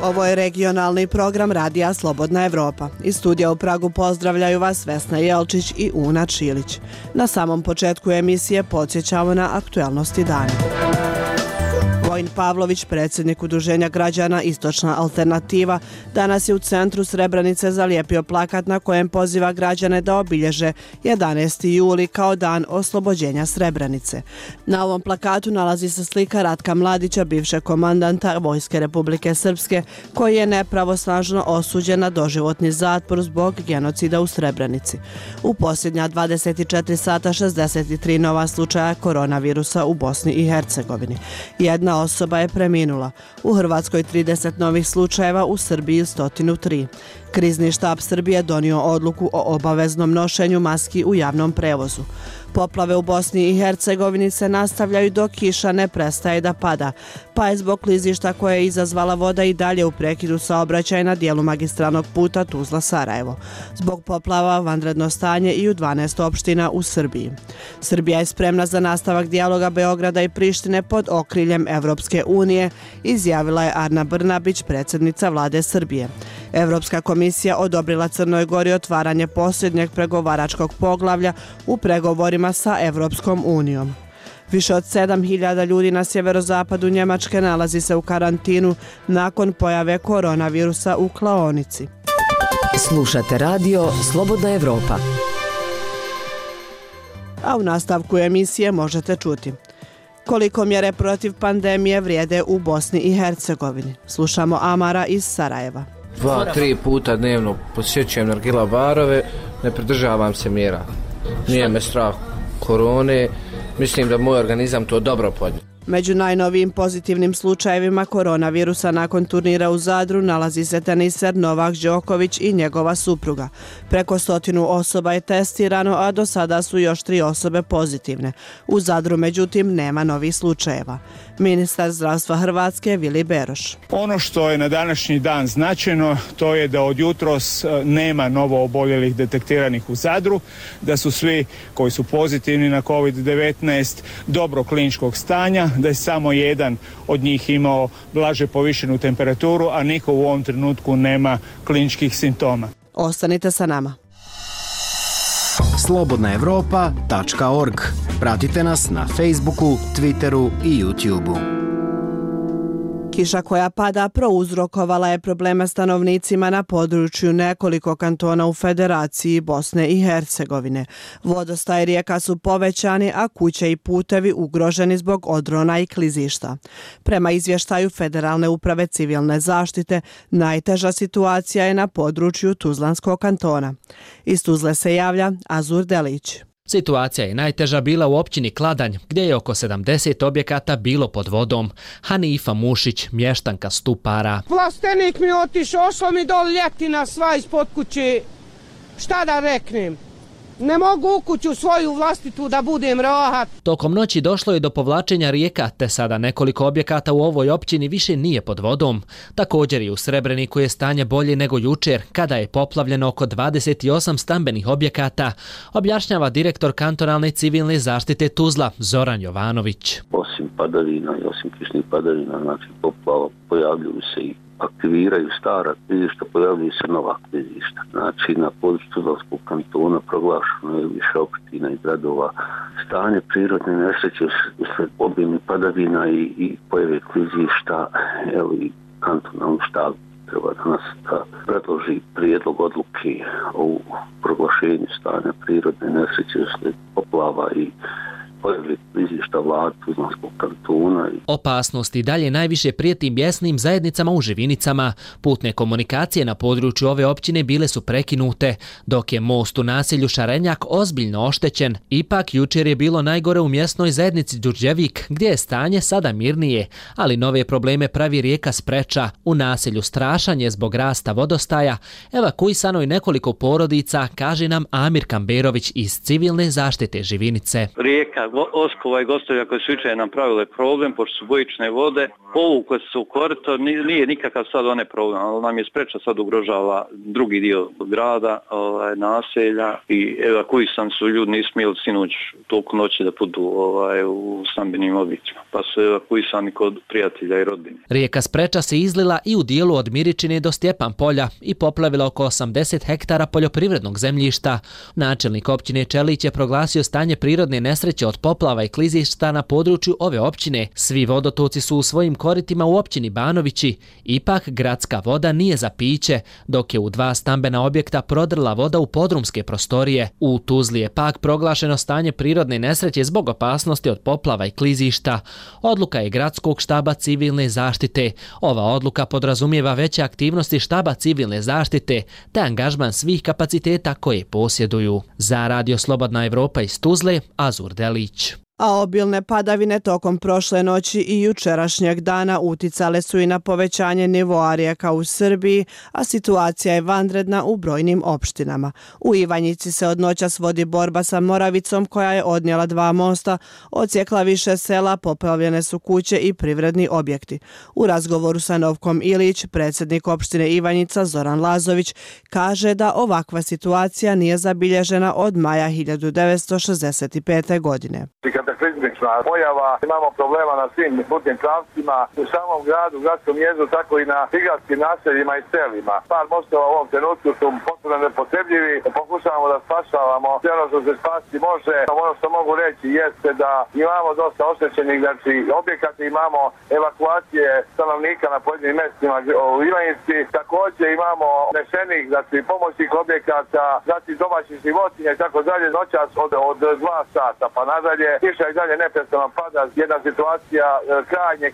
Ovo je regionalni program Radija Slobodna Evropa. Iz studija u Pragu pozdravljaju vas Vesna Jelčić i Una Čilić. Na samom početku emisije podsjećamo na aktuelnosti dana. Vojin Pavlović, predsjednik Udruženja građana Istočna alternativa, danas je u centru Srebrenice zalijepio plakat na kojem poziva građane da obilježe 11. juli kao dan oslobođenja Srebrenice. Na ovom plakatu nalazi se slika Ratka Mladića, bivšeg komandanta Vojske Republike Srpske, koji je nepravosnažno osuđen na doživotni zatvor zbog genocida u Srebrenici. U posljednja 24 sata 63 nova slučaja koronavirusa u Bosni i Hercegovini. Jedna osoba je preminula. U Hrvatskoj 30 novih slučajeva, u Srbiji 103. Krizni štab Srbije donio odluku o obaveznom nošenju maski u javnom prevozu. Poplave u Bosni i Hercegovini se nastavljaju dok kiša ne prestaje da pada, pa je zbog klizišta koje je izazvala voda i dalje u prekidu saobraćaja na dijelu magistralnog puta Tuzla-Sarajevo. Zbog poplava vanredno stanje i u 12 opština u Srbiji. Srbija je spremna za nastavak dijaloga Beograda i Prištine pod okriljem Evropske unije, izjavila je Ana Brnabić, predsjednica vlade Srbije. Evropska komisija odobrila Crnoj Gori otvaranje posljednjeg pregovaračkog poglavlja u pregovorima sa Evropskom unijom. Više od 7.000 ljudi na sjeverozapadu Njemačke nalazi se u karantinu nakon pojave koronavirusa u klaonici. Slušate radio Slobodna Evropa. A u nastavku emisije možete čuti koliko mjere protiv pandemije vrijede u Bosni i Hercegovini. Slušamo Amara iz Sarajeva. 2-3 puta dnevno posjećujem nargila barove, ne pridržavam se mjera. Nije me strah korone, mislim da moj organizam to dobro podnije. Među najnovijim pozitivnim slučajevima koronavirusa nakon turnira u Zadru nalazi se teniser Novak Đoković i njegova supruga. Preko 100 osoba je testirano, a do sada su još 3 osobe pozitivne. U Zadru, međutim, nema novih slučajeva. Ministar zdravstva Hrvatske Vili Beroš. Ono što je na današnji dan značajno, to je da od jutros nema novo oboljelih detektiranih u Zadru, da su svi koji su pozitivni na COVID-19 dobro kliničkog stanja, da je samo jedan od njih imao blaže povišenu temperaturu, a niko u ovom trenutku nema kliničkih simptoma. Ostanite sa nama. slobodnaevropa.org. Pratite nas na Facebooku, Twitteru i YouTubeu. Kiša koja pada prouzrokovala je probleme stanovnicima na području nekoliko kantona u Federaciji Bosne i Hercegovine. Vodostaj rijeka su povećani, a kuće i putevi ugroženi zbog odrona i klizišta. Prema izvještaju Federalne uprave civilne zaštite, najteža situacija je na području Tuzlanskog kantona. Iz Tuzle se javlja Azur Delić. Situacija je najteža bila u općini Kladanj, gdje je oko 70 objekata bilo pod vodom. Hanifa Mušić, mještanka Stupara. Vlastenik mi otišao, ošlo mi dol ljetina sva ispod kuće. Šta da reknem? Ne mogu u kuću svoju vlastitu da budem rahat. Tokom noći došlo je do povlačenja rijeka, te sada nekoliko objekata u ovoj općini više nije pod vodom. Također i u Srebreniku je stanje bolje nego jučer, kada je poplavljeno oko 28 stambenih objekata, objašnjava direktor kantonalne civilne zaštite Tuzla, Zoran Jovanović. Osim padavina i osim kišnih padavina, znači poplava, pojavljuju se i aktiviraju stara klizišta, pojavljuju se nova klizišta. Znači, na području Tuzlanskog kantona proglašeno je više opština i gradova stanje prirodne nesreće usled obimnih padavina i pojave klizišta. Evo i kantonalni štab treba danas da predloži prijedlog odluke o proglašenju stanja prirodne nesreće usled poplava i pojave klizišta vlade Tuzlanskog kantona. Opasnost i dalje najviše prijeti mjesnim zajednicama u Živinicama. Putne komunikacije na području ove općine bile su prekinute, dok je most u naselju Šarenjak ozbiljno oštećen. Ipak jučer je bilo najgore u mjesnoj zajednici Đurđevik, gdje je stanje sada mirnije, ali nove probleme pravi rijeka Spreča. U naselju Strašanje zbog rasta vodostaja evakuisano je nekoliko porodica, kaže nam Amir Kamberović iz civilne zaštite Živinice. Rijeka Oskova i Gostovlja koje su jučer napravile problem, pošto su bojične vode, povukle su u korito, nije nikakav sad one problem, ali nam je spreča sad ugrožava drugi dio grada, naselja i evakuisani su ljudi, nisu smjeli sinoć toliko noći da budu u stambenim objektima, pa su evakuisani kod prijatelja i rodbine. Rijeka Spreča se izlila i u dijelu od Miričine do Stjepan polja i poplavila oko 80 hektara poljoprivrednog zemljišta. Načelnik općine Čelić je proglasio stanje prirodne nesreće od poplava i klizišta na području ove općine. Svi vodotoci su u svojim koritima u općini Banovići. Ipak gradska voda nije za piće, dok je u 2 stambena objekta prodrla voda u podrumske prostorije. U Tuzli je pak proglašeno stanje prirodne nesreće zbog opasnosti od poplava i klizišta. Odluka je Gradskog štaba civilne zaštite. Ova odluka podrazumijeva veće aktivnosti štaba civilne zaštite te angažman svih kapaciteta koje posjeduju. Za Radio Slobodna Evropa iz Tuzle, Azur Delić. A obilne padavine tokom prošle noći i jučerašnjeg dana uticale su i na povećanje nivoa rijeka u Srbiji, a situacija je vanredna u brojnim opštinama. U Ivanjici se od noćas vodi borba sa Moravicom koja je odnijela 2 mosta, odsjekla više sela, poplavljene su kuće i privredni objekti. U razgovoru sa Novkom Ilić, predsjednik opštine Ivanjica Zoran Lazović kaže da ovakva situacija nije zabilježena od maja 1965. godine. Kataklizmična pojava, imamo problema na svim putnim pravcima, u samom gradu, gradskom jezdu, tako i na prigradskim naseljima i selima. Par mostova u ovom trenutku su potpuno nepotrebljivi, pokušavamo da spašavamo sve ono što se spasti može. Ono što mogu reći jeste da imamo dosta oštećenih objekata, imamo evakuacije stanovnika na pojedinim mjestima u Ivanjici, također imamo nešenih, pomoćnih objekata, domaćih životinja i tako dalje, noćas od 2 sata pa nadalje. Kiša i dalje neprestano pada, jedna situacija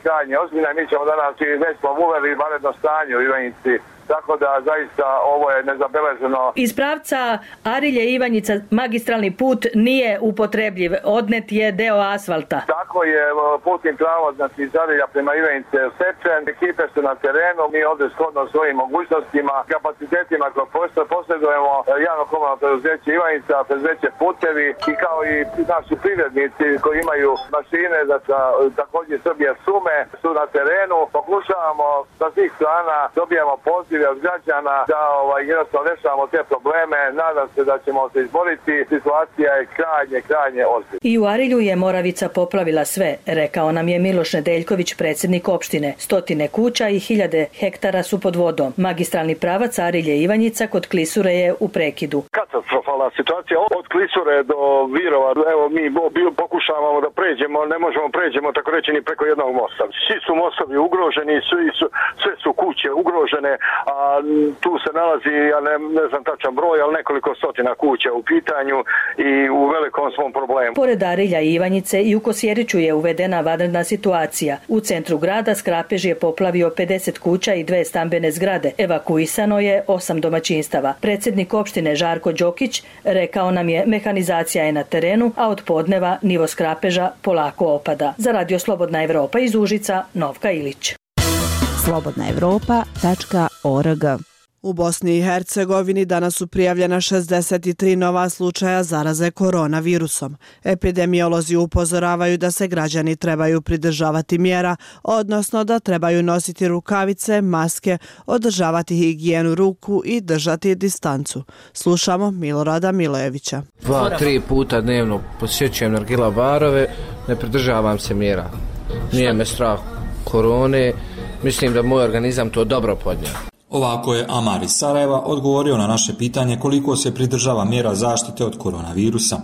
krajnje ozbiljna i mi ćemo danas već smo uveli vanredno stanje u Ivanjici. Tako da zaista ovo je nezabeleženo. Iz pravca Arilje-Ivanjica magistralni put nije upotrebljiv, odnet je deo asfalta. Tako je, putni pravac iz Arilja prema Ivanjice je sečen, ekipe su na terenu, mi ovdje shodno svojim mogućnostima, kapacitetima koje posjedujemo javno komunalno preduzeće Ivanjica, preduzeće Putevi i kao i naši privrednici koji imaju mašine, također Srbije Sume su na terenu, pokušavamo sa svih strana, dobijamo poziv od građana da jednostavno rešavamo te probleme. Nadam se da ćemo se izboriti. Situacija je krajnje ozbiljna. I u Arilju je Moravica poplavila sve, rekao nam je Miloš Nedeljković, predsjednik opštine. 100 kuća i 1000 hektara su pod vodom. Magistralni pravac Arilje-Ivanjica kod Klisure je u prekidu. Katastrofalna situacija od Klisure do Virova. Evo mi pokušavamo da pređemo, ne možemo pređemo tako reći ni preko jednog mosta. Svi su mostovi ugroženi, sve su kuće ugrožene, a tu se nalazi, ja ne znam tačan broj, ali nekoliko stotina kuća u pitanju i u velikom smo problemu. Pored Arilja i Ivanjice i u Kosjeriću je uvedena vanredna situacija. U centru grada Skrapež je poplavio 50 kuća i 2 stambene zgrade. Evakuisano je 8 domaćinstava. Predsjednik opštine Žarko Đokić rekao nam je mehanizacija je na terenu, a od podneva nivo Skrapeža polako opada. Za Radio Slobodna Evropa iz Užica, Novka Ilić. slobodnaevropa.org. U Bosni i Hercegovini danas su prijavljena 63 nova slučaja zaraze koronavirusom. Epidemiolozi upozoravaju da se građani trebaju pridržavati mjera, odnosno da trebaju nositi rukavice, maske, održavati higijenu ruku i držati distancu. Slušamo Milorada Milojevića. 2-3 puta dnevno posjećujem nargila barove, ne pridržavam se mjera. Nije me strah korone, mislim da moj organizam to dobro podnio. Ovako je Amar iz Sarajeva odgovorio na naše pitanje koliko se pridržava mjera zaštite od koronavirusa.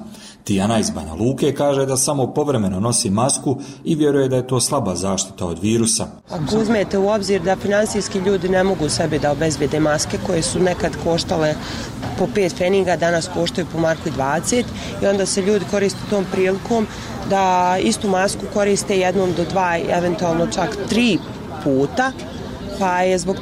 Tijana iz Banja Luke kaže da samo povremeno nosi masku i vjeruje da je to slaba zaštita od virusa. Ako uzmete u obzir da finansijski ljudi ne mogu sebi da obezbijede maske koje su nekad koštale po 5 pfeniga, danas koštaju po marku 20 i onda se ljudi koriste tom prilikom da istu masku koriste 1 do 2, eventualno čak 3 puta pa je zbog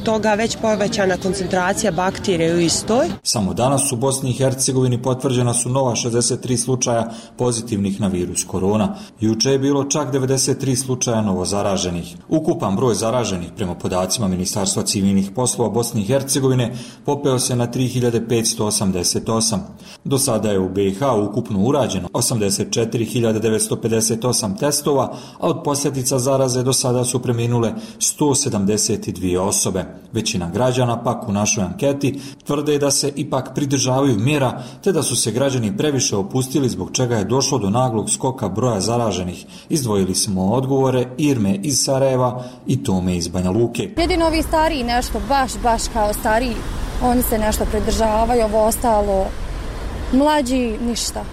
toga već povećana koncentracija bakterija u istoj. Samo danas u Bosni i Hercegovini potvrđena su nova 63 slučaja pozitivnih na virus korona. Juče je bilo čak 93 slučaja novozaraženih. Ukupan broj zaraženih prema podacima Ministarstva civilnih poslova Bosne i Hercegovine popeo se na 3588. Do sada je u BiH ukupno urađeno 84.958 testova, a od posljedica zaraze do sada su preminule 172 osobe. Većina građana pak u našoj anketi tvrde da se ipak pridržavaju mjera, te da su se građani previše opustili zbog čega je došlo do naglog skoka broja zaraženih. Izdvojili smo odgovore Irme iz Sarajeva i Tome iz Banja Luke. Jedino ovi stariji nešto, baš kao stariji, oni se nešto pridržavaju, ovo ostalo, mlađi ništa.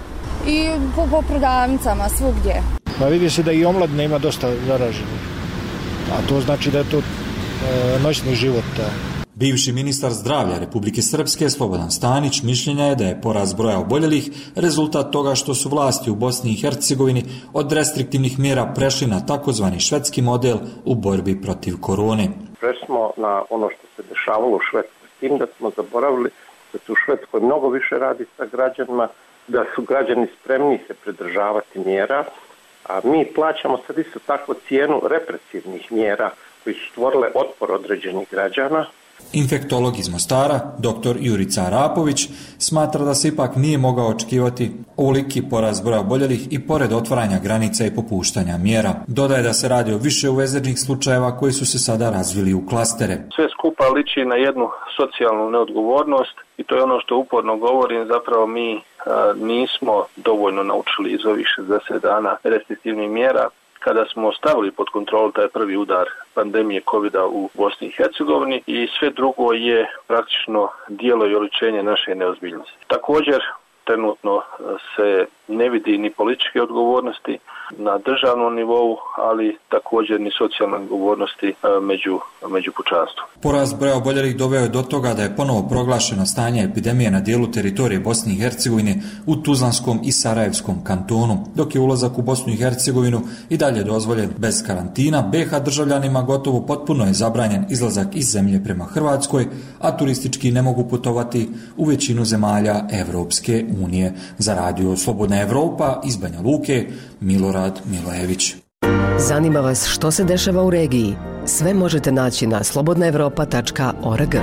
I po prodavnicama svugdje. Pa vidi se da i omladina ima dosta zaraženih, a to znači da je to noćni život. Bivši ministar zdravlja Republike Srpske Slobodan Stanić mišljenja je da je porast broja oboljelih rezultat toga što su vlasti u Bosni i Hercegovini od restriktivnih mjera prešli na takozvani švedski model u borbi protiv korone. Prešli smo na ono što se dešavalo u Švedskoj, s tim da smo zaboravili da se u Švedskoj mnogo više radi sa građanima, da su građani spremni se pridržavati mjera, a mi plaćamo sad isto tako cijenu represivnih mjera koji su stvorile otpor određenih građana. Infektolog iz Mostara, dr. Jurica Arapović, smatra da se ipak nije mogao očekivati ovoliki porast broja oboljelih i pored otvaranja granica i popuštanja mjera. Dodaje da se radi o više uvezenih slučajeva koji su se sada razvili u klastere. Sve skupa liči na jednu socijalnu neodgovornost i to je ono što uporno govorim, zapravo mi nismo dovoljno naučili iz ovih 60 dana restriktivnih mjera. Kada smo stavili pod kontrolu taj prvi udar pandemije COVID-a u Bosni i Hercegovini i sve drugo je praktično dijelo i oličenje naše neozbiljnosti. Također, trenutno se ne vidi ni političke odgovornosti na državnom nivou, ali također ni socijalne odgovornosti među pučanstvom. Porast broja oboljelih doveo je do toga da je ponovo proglašeno stanje epidemije na dijelu teritorije Bosne i Hercegovine u Tuzlanskom i Sarajevskom kantonu, dok je ulazak u Bosnu i Hercegovinu i dalje dozvoljen bez karantina. BiH državljanima gotovo potpuno je zabranjen izlazak iz zemlje prema Hrvatskoj, a turistički ne mogu putovati u većinu zemalja Evropske unije. Za radio Slobodna Evropa iz Banja Luke, Milorad Milojević. Zanima vas što se dešava u regiji? Sve možete naći na slobodnaevropa.org.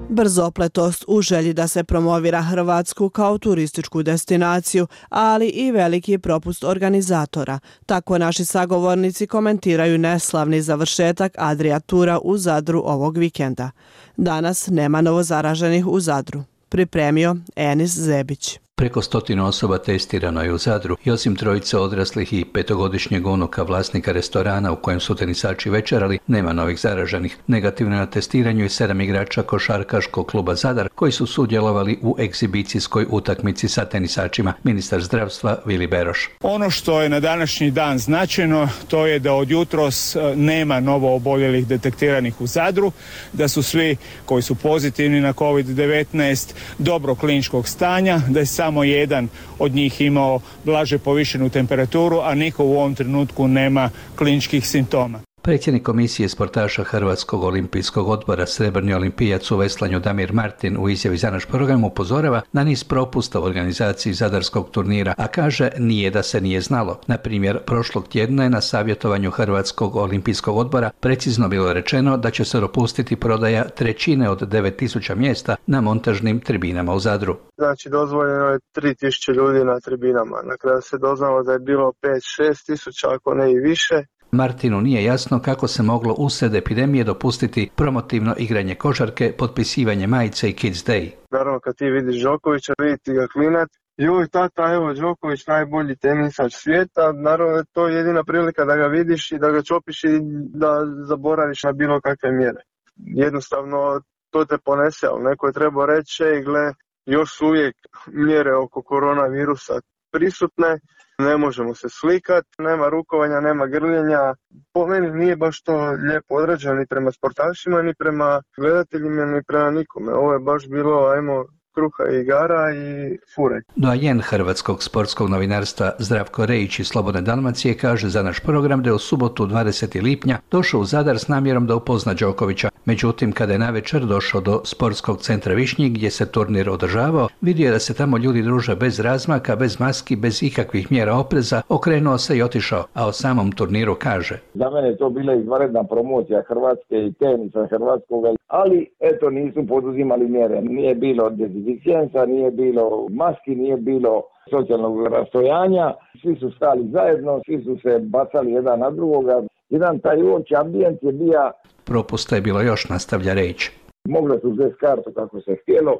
Brzopletost u želji da se promovira Hrvatsku kao turističku destinaciju, ali i veliki propust organizatora. Tako naši sagovornici komentiraju neslavni završetak Adria Tura u Zadru ovog vikenda. Danas nema novozaraženih u Zadru. Pripremio Enis Zebić. Preko 100 osoba testirano je u Zadru i osim trojice odraslih i 5-godišnjeg unuka vlasnika restorana u kojem su tenisači večerali, nema novih zaraženih. Negativno na testiranju je 7 igrača košarkaškog kluba Zadar koji su sudjelovali u egzibicijskoj utakmici sa tenisačima. Ministar zdravstva Vili Beroš. Ono što je na današnji dan značajno, to je da od jutros nema novo oboljelih detektiranih u Zadru, da su svi koji su pozitivni na COVID-19 dobro kliničkog stanja, da je samo jedan od njih imao blaže povišenu temperaturu, a niko u ovom trenutku nema kliničkih simptoma. Predsjednik komisije sportaša Hrvatskog olimpijskog odbora srebrni olimpijac u veslanju Damir Martin u izjavi za naš program upozorava na niz propusta u organizaciji zadarskog turnira, a kaže nije da se nije znalo. Na primjer, prošlog tjedna je na savjetovanju Hrvatskog olimpijskog odbora precizno bilo rečeno da će se dopustiti prodaja 1/3 od 9000 mjesta na montažnim tribinama u Zadru. Znači dozvoljeno je 3000 ljudi na tribinama. Na kraju se doznalo da je bilo 5-6 tisuća, ako ne i više. Martinu nije jasno kako se moglo usred epidemije dopustiti promotivno igranje košarke, potpisivanje majice i Kids Day. Naravno kad ti vidiš Đokovića, viditi ga klinat, joj tata, evo Đoković najbolji tenisač svijeta, naravno to je jedina prilika da ga vidiš i da ga čopiš i da zaboraviš na bilo kakve mjere. Jednostavno to te ponese, ali neko je trebao reći, gle, još su uvijek mjere oko koronavirusa prisutne, ne možemo se slikati, nema rukovanja, nema grljenja. Po meni nije baš to lijepo odrađeno ni prema sportašima, ni prema gledateljima, ni prema nikome. Ovo je baš bilo, ajmo kruha i igara i fure. Doajen hrvatskog sportskog novinarstva Zdravko Rejić iz Slobodne Dalmacije kaže za naš program da je u subotu 20. lipnja došao u Zadar s namjerom da upozna Đokovića. Međutim, kada je navečer došao do sportskog centra Višnjik gdje se turnir održavao, vidio je da se tamo ljudi druže bez razmaka, bez maski, bez ikakvih mjera opreza, okrenuo se i otišao, a o samom turniru kaže: Za mene je to bila izvanredna promocija Hrvatske i tenisa hrvatskoga, ali eto nisu poduzimali mjere. Nije bilo dezinficijensa, nije bilo maski, nije bilo socijalnog rastojanja, svi su stali zajedno, svi su se bacali jedan na drugoga. Jedan taj uopći ambijent je bio. Propusta je bilo još, nastavlja Rejić. Mogli su uzeti kartu kako se htjelo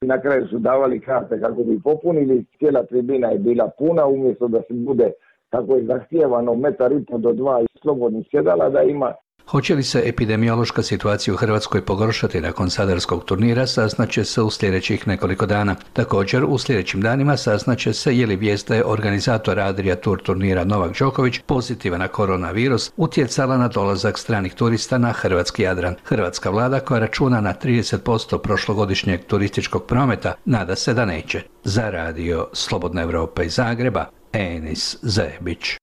i na kraju su davali karte kako bi popunili. Cijela tribina je bila puna, umjesto da se bude kako je zahtijevano 1,5 do 2 slobodnih sjedala da ima. Hoće li se epidemiološka situacija u Hrvatskoj pogoršati nakon sadarskog turnira, saznaće se u sljedećih nekoliko dana. Također, u sljedećim danima saznaće se je li vijest da je organizator Adria Tour turnira Novak Đoković pozitivan na koronavirus utjecala na dolazak stranih turista na hrvatski Jadran. Hrvatska vlada, koja računa na 30% prošlogodišnjeg turističkog prometa, nada se da neće. Za radio Slobodna Evropa iz Zagreba, Enis Zebić.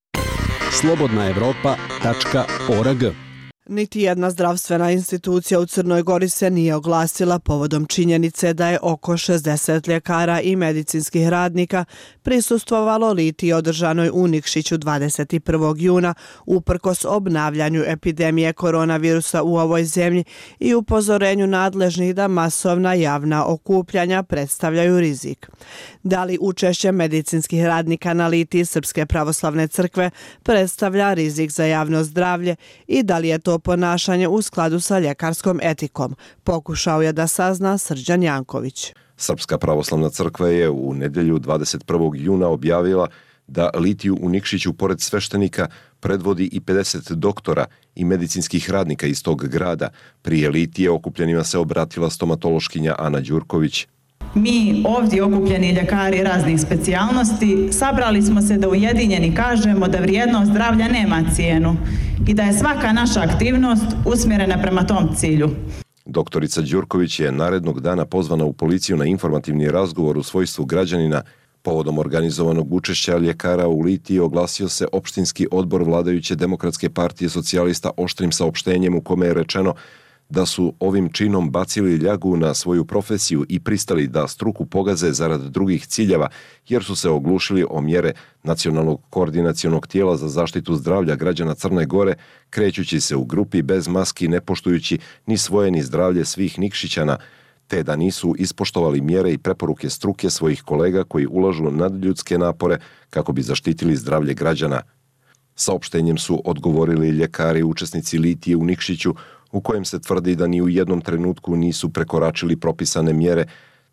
slobodnaevropa.org. Niti jedna zdravstvena institucija u Crnoj Gori se nije oglasila povodom činjenice da je oko 60 ljekara i medicinskih radnika prisustvovalo litiji održanoj u Nikšiću 21. juna uprkos obnavljanju epidemije koronavirusa u ovoj zemlji i upozorenju nadležnih da masovna javna okupljanja predstavljaju rizik. Da li učešće medicinskih radnika na litiji Srpske pravoslavne crkve predstavlja rizik za javno zdravlje i da li je to ponašanje u skladu sa ljekarskom etikom, pokušao je da sazna Srđan Janković. Srpska pravoslavna crkva je u nedjelju 21. juna objavila da litiju u Nikšiću pored sveštenika predvodi i 50 doktora i medicinskih radnika iz tog grada. Prije litije okupljenima se obratila stomatološkinja Ana Đurković. Mi ovdje okupljeni ljekari raznih specijalnosti sabrali smo se da ujedinjeni kažemo da vrijednost zdravlja nema cijenu i da je svaka naša aktivnost usmjerena prema tom cilju. Doktorica Đurković je narednog dana pozvana u policiju na informativni razgovor u svojstvu građanina. Povodom organizovanog učešća ljekara u litiji oglasio se opštinski odbor vladajuće Demokratske partije socijalista oštrim saopštenjem u kome je rečeno da su ovim činom bacili ljagu na svoju profesiju i pristali da struku pogaze zarad drugih ciljeva, jer su se oglušili o mjere Nacionalnog koordinacionog tijela za zaštitu zdravlja građana Crne Gore, krećući se u grupi bez maski, ne poštujući ni svoje ni zdravlje svih Nikšićana, te da nisu ispoštovali mjere i preporuke struke svojih kolega koji ulažu nadljudske napore kako bi zaštitili zdravlje građana. Saopštenjem su odgovorili ljekari učesnici litije u Nikšiću, u kojem se tvrdi da ni u jednom trenutku nisu prekoračili propisane mjere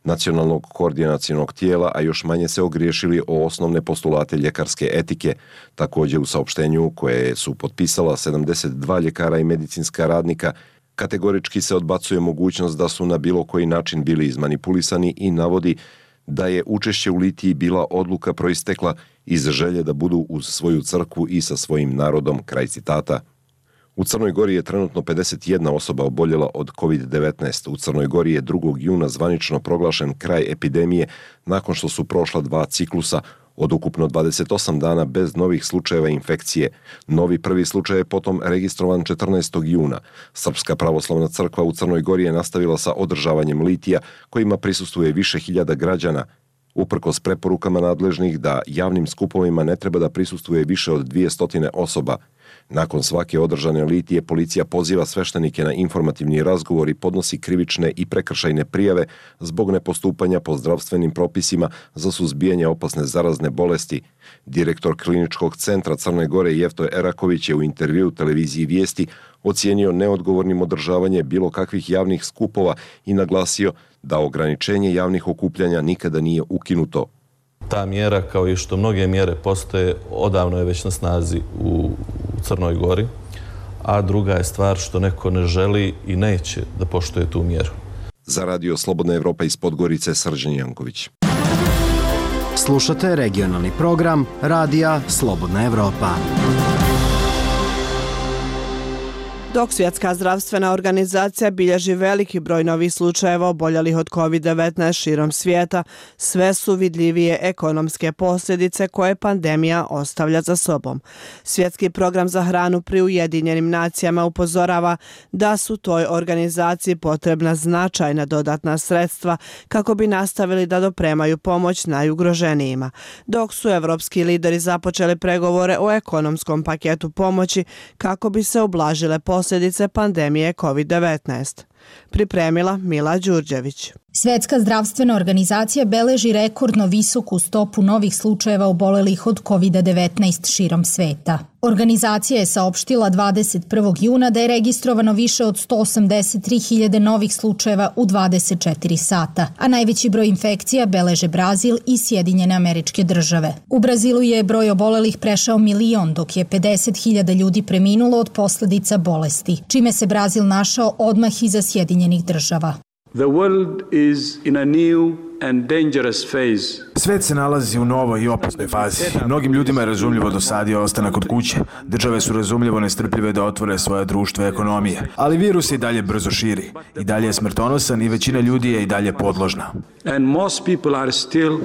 Nacionalnog koordinacionog tijela, a još manje se ogriješili o osnovne postulate ljekarske etike. Također u saopštenju koje su potpisala 72 ljekara i medicinska radnika, kategorički se odbacuje mogućnost da su na bilo koji način bili izmanipulisani i navodi da je učešće u litiji bila odluka proistekla iz želje da budu uz svoju crkvu i sa svojim narodom, kraj citata. U Crnoj Gori je trenutno 51 osoba oboljela od COVID-19. U Crnoj Gori je 2. juna zvanično proglašen kraj epidemije nakon što su prošla 2 ciklusa od ukupno 28 dana bez novih slučajeva infekcije. Novi prvi slučaj je potom registrovan 14. juna. Srpska pravoslavna crkva u Crnoj Gori je nastavila sa održavanjem litija kojima prisustvuje više hiljada građana. Uprkos preporukama nadležnih da javnim skupovima ne treba da prisustvuje više od 200 osoba. Nakon svake održane litije policija poziva sveštenike na informativni razgovor i podnosi krivične i prekršajne prijave zbog nepostupanja po zdravstvenim propisima za suzbijanje opasne zarazne bolesti. Direktor kliničkog centra Crne Gore Jefto Eraković je u intervjuu televiziji Vijesti ocijenio neodgovornim održavanje bilo kakvih javnih skupova i naglasio da ograničenje javnih okupljanja nikada nije ukinuto. Ta mjera, kao i što mnoge mjere postoje, odavno je već na snazi u Crnoj Gori, a druga je stvar što neko ne želi i neće da poštuje tu mjeru. Za radio Slobodna Evropa iz Podgorice, Srđan Janković. Slušate regionalni program Radija Slobodna Evropa. Dok Svjetska zdravstvena organizacija bilježi veliki broj novih slučajeva oboljelih od COVID-19 širom svijeta, sve su vidljivije ekonomske posljedice koje pandemija ostavlja za sobom. Svjetski program za hranu pri Ujedinjenim nacijama upozorava da su toj organizaciji potrebna značajna dodatna sredstva kako bi nastavili da dopremaju pomoć najugroženijima. Dok su evropski lideri započeli pregovore o ekonomskom paketu pomoći kako bi se ublažile posljedice pandemije COVID-19. Pripremila Mila Đurđević. Svjetska zdravstvena organizacija beleži rekordno visoku stopu novih slučajeva obolelih od COVID-19 širom sveta. Organizacija je saopštila 21. juna da je registrovano više od 183.000 novih slučajeva u 24 sata, a najveći broj infekcija beleže Brazil i Sjedinjene Američke Države. U Brazilu je broj obolelih prešao 1 milion, dok je 50.000 ljudi preminulo od posljedica bolesti, čime se Brazil našao odmah iza Sjedinjenih Država. The world is in a new and dangerous phase. Svet se nalazi u novoj i opasnoj fazi. Mnogim ljudima je razumljivo dosadio ostanak kod kuće. Države su razumljivo nestrpljive da otvore svoje društvo i ekonomije. Ali virus i dalje brzo širi. I dalje je smrtonosan i većina ljudi je i dalje podložna. And most people are still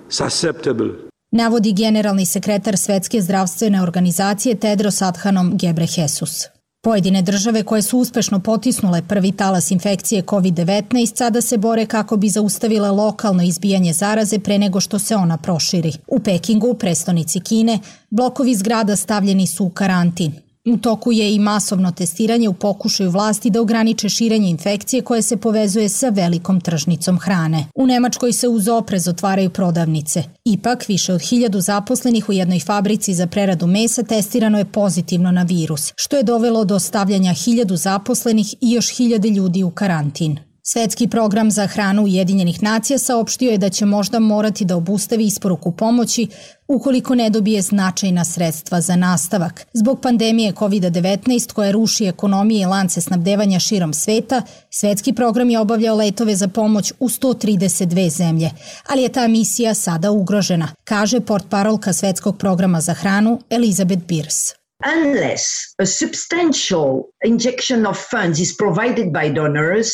susceptible. Navodi generalni sekretar Svjetske zdravstvene organizacije Tedros Adhanom Ghebreyesus. Pojedine države koje su uspešno potisnule prvi talas infekcije COVID-19 sada se bore kako bi zaustavile lokalno izbijanje zaraze pre nego što se ona proširi. U Pekingu, prestonici Kine, blokovi zgrada stavljeni su u karantin. U toku je i masovno testiranje u pokušaju vlasti da ograniče širenje infekcije koje se povezuje sa velikom tržnicom hrane. U Nemačkoj se uz oprez otvaraju prodavnice. Ipak, više od 1000 zaposlenih u jednoj fabrici za preradu mesa testirano je pozitivno na virus, što je dovelo do stavljanja 1000 zaposlenih i još 1000 ljudi u karantin. Svjetski program za hranu Ujedinjenih nacija saopštio je da će možda morati da obustavi isporuku pomoći ukoliko ne dobije značajna sredstva za nastavak. Zbog pandemije COVID-19 koja ruši ekonomije i lance snabdevanja širom sveta, svjetski program je obavljao letove za pomoć u 132 zemlje, ali je ta misija sada ugrožena, kaže portparolka Svjetskog programa za hranu Elizabeth Beers. Unless a substantial injection of funds is provided by donors,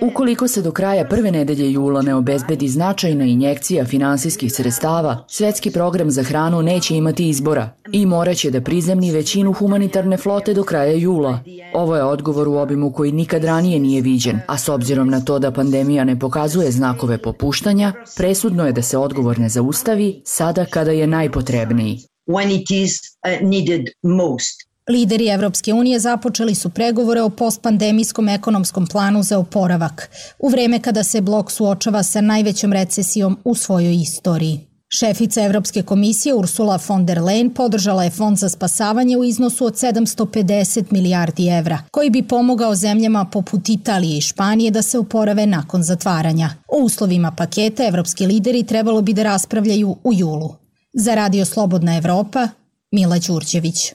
ukoliko se do kraja prve nedelje jula ne obezbedi značajna injekcija finansijskih sredstava, Svjetski program za hranu neće imati izbora i morat će da prizemni većinu humanitarne flote do kraja jula. Ovo je odgovor u obimu koji nikad ranije nije viđen, a s obzirom na to da pandemija ne pokazuje znakove popuštanja, presudno je da se odgovor ne zaustavi sada kada je najpotrebniji. When it is needed most. Lideri Evropske unije započeli su pregovore o postpandemijskom ekonomskom planu za oporavak, u vreme kada se blok suočava sa najvećom recesijom u svojoj istoriji. Šefica Evropske komisije Ursula von der Leyen podržala je fond za spasavanje u iznosu od 750 milijardi evra, koji bi pomogao zemljama poput Italije i Španije da se oporave nakon zatvaranja. O uslovima paketa evropski lideri trebalo bi da raspravljaju u julu. Za Radio Slobodna Evropa, Mila Đurđević.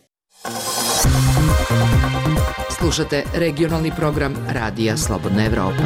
Slušate regionalni program Radija Slobodna Evropa.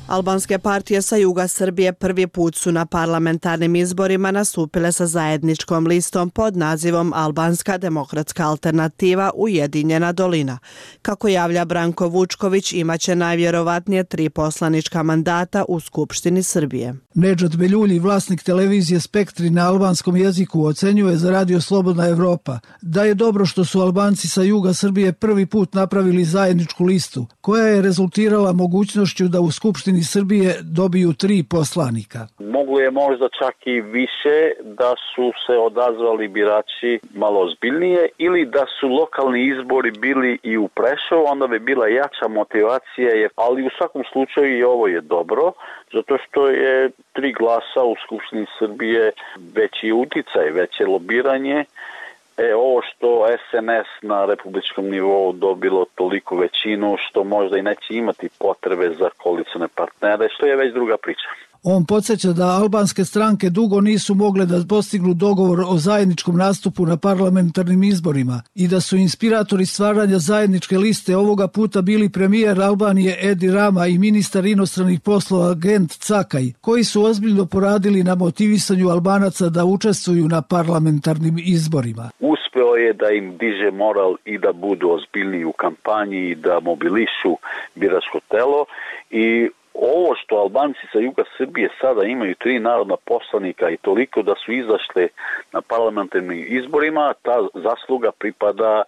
Albanske partije sa juga Srbije prvi put su na parlamentarnim izborima nastupile sa zajedničkom listom pod nazivom Albanska demokratska alternativa Ujedinjena dolina. Kako javlja Branko Vučković, imaće najvjerovatnije 3 poslanička mandata u Skupštini Srbije. Nedžad Beljulji, vlasnik televizije Spektri na albanskom jeziku, ocenjuje za Radio Slobodna Evropa da je dobro što su Albanci sa juga Srbije prvi put napravili zajedničku listu, koja je rezultirala mogućnošću da u Skupštini Srbije dobiju 3 poslanika. Moglo je možda čak i više da su se odazvali birači malo ozbiljnije ili da su lokalni izbori bili i u Prešovu, onda bi bila jača motivacija, ali u svakom slučaju i ovo je dobro, zato što je 3 glasa u Skupštini Srbije veći uticaj, veće lobiranje. Ovo što SNS na republičkom nivou dobilo toliko većinu što možda i neće imati potrebe za koalicione partnere, što je već druga priča. On podsjeća da albanske stranke dugo nisu mogle da postignu dogovor o zajedničkom nastupu na parlamentarnim izborima i da su inspiratori stvaranja zajedničke liste ovoga puta bili premijer Albanije Edi Rama i ministar inostranih poslova Gent Cakaj, koji su ozbiljno poradili na motivisanju Albanaca da učestvuju na parlamentarnim izborima. Uspeli uspeo je da im diže moral i da budu ozbiljniji u kampanji i da mobilišu biračko telo. I ovo što Albanci sa juga Srbije sada imaju 3 narodna poslanika i toliko da su izašli na parlamentarnim izborima, ta zasluga pripada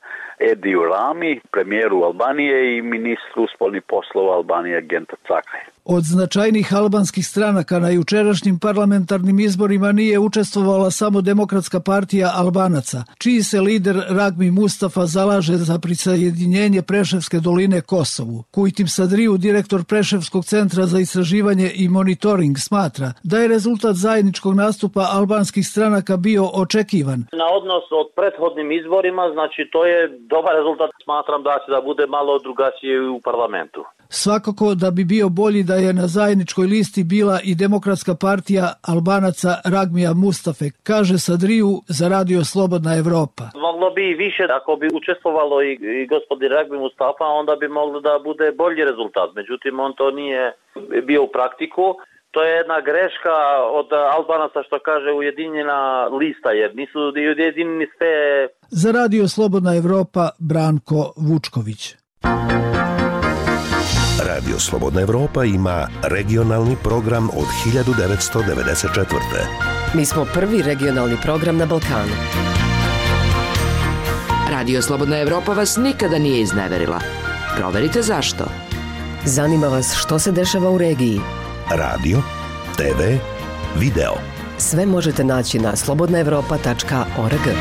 Ediju Rami, premijeru Albanije i ministru spoljnih poslova Albanije Genta Cakaj. Od značajnih albanskih stranaka na jučerašnjim parlamentarnim izborima nije učestvovala samo Demokratska partija Albanaca, čiji se lider Ragmi Mustafa zalaže za prisajedinjenje Preševske doline Kosovu. Kujtim Sadriju, direktor Preševskog centra za istraživanje i monitoring, smatra da je rezultat zajedničkog nastupa albanskih stranaka bio očekivan. Na odnos od prethodnim izborima, znači to je dobar rezultat. Smatram da će da bude malo drugačije u parlamentu. Svakako da bi bio bolji da je na zajedničkoj listi bila i Demokratska partija Albanaca Ragmija Mustafe, kaže Sadriju za Radio Slobodna Evropa. Moglo bi i više, ako bi učestvovalo i gospodin Ragmi Mustafa, onda bi moglo da bude bolji rezultat. Međutim, on to nije bio u praktiku. To je jedna greška od Albanaca što kaže ujedinjena lista, jer nisu ujedinjeni sve. Za Radio Slobodna Evropa Branko Vučković. Radio Slobodna Evropa ima regionalni program od 1994. Mi smo prvi regionalni program na Balkanu. Radio Slobodna Evropa vas nikada nije izneverila. Proverite zašto. Zanima vas što se dešava u regiji. Radio, TV, video. Sve možete naći na slobodnaevropa.org.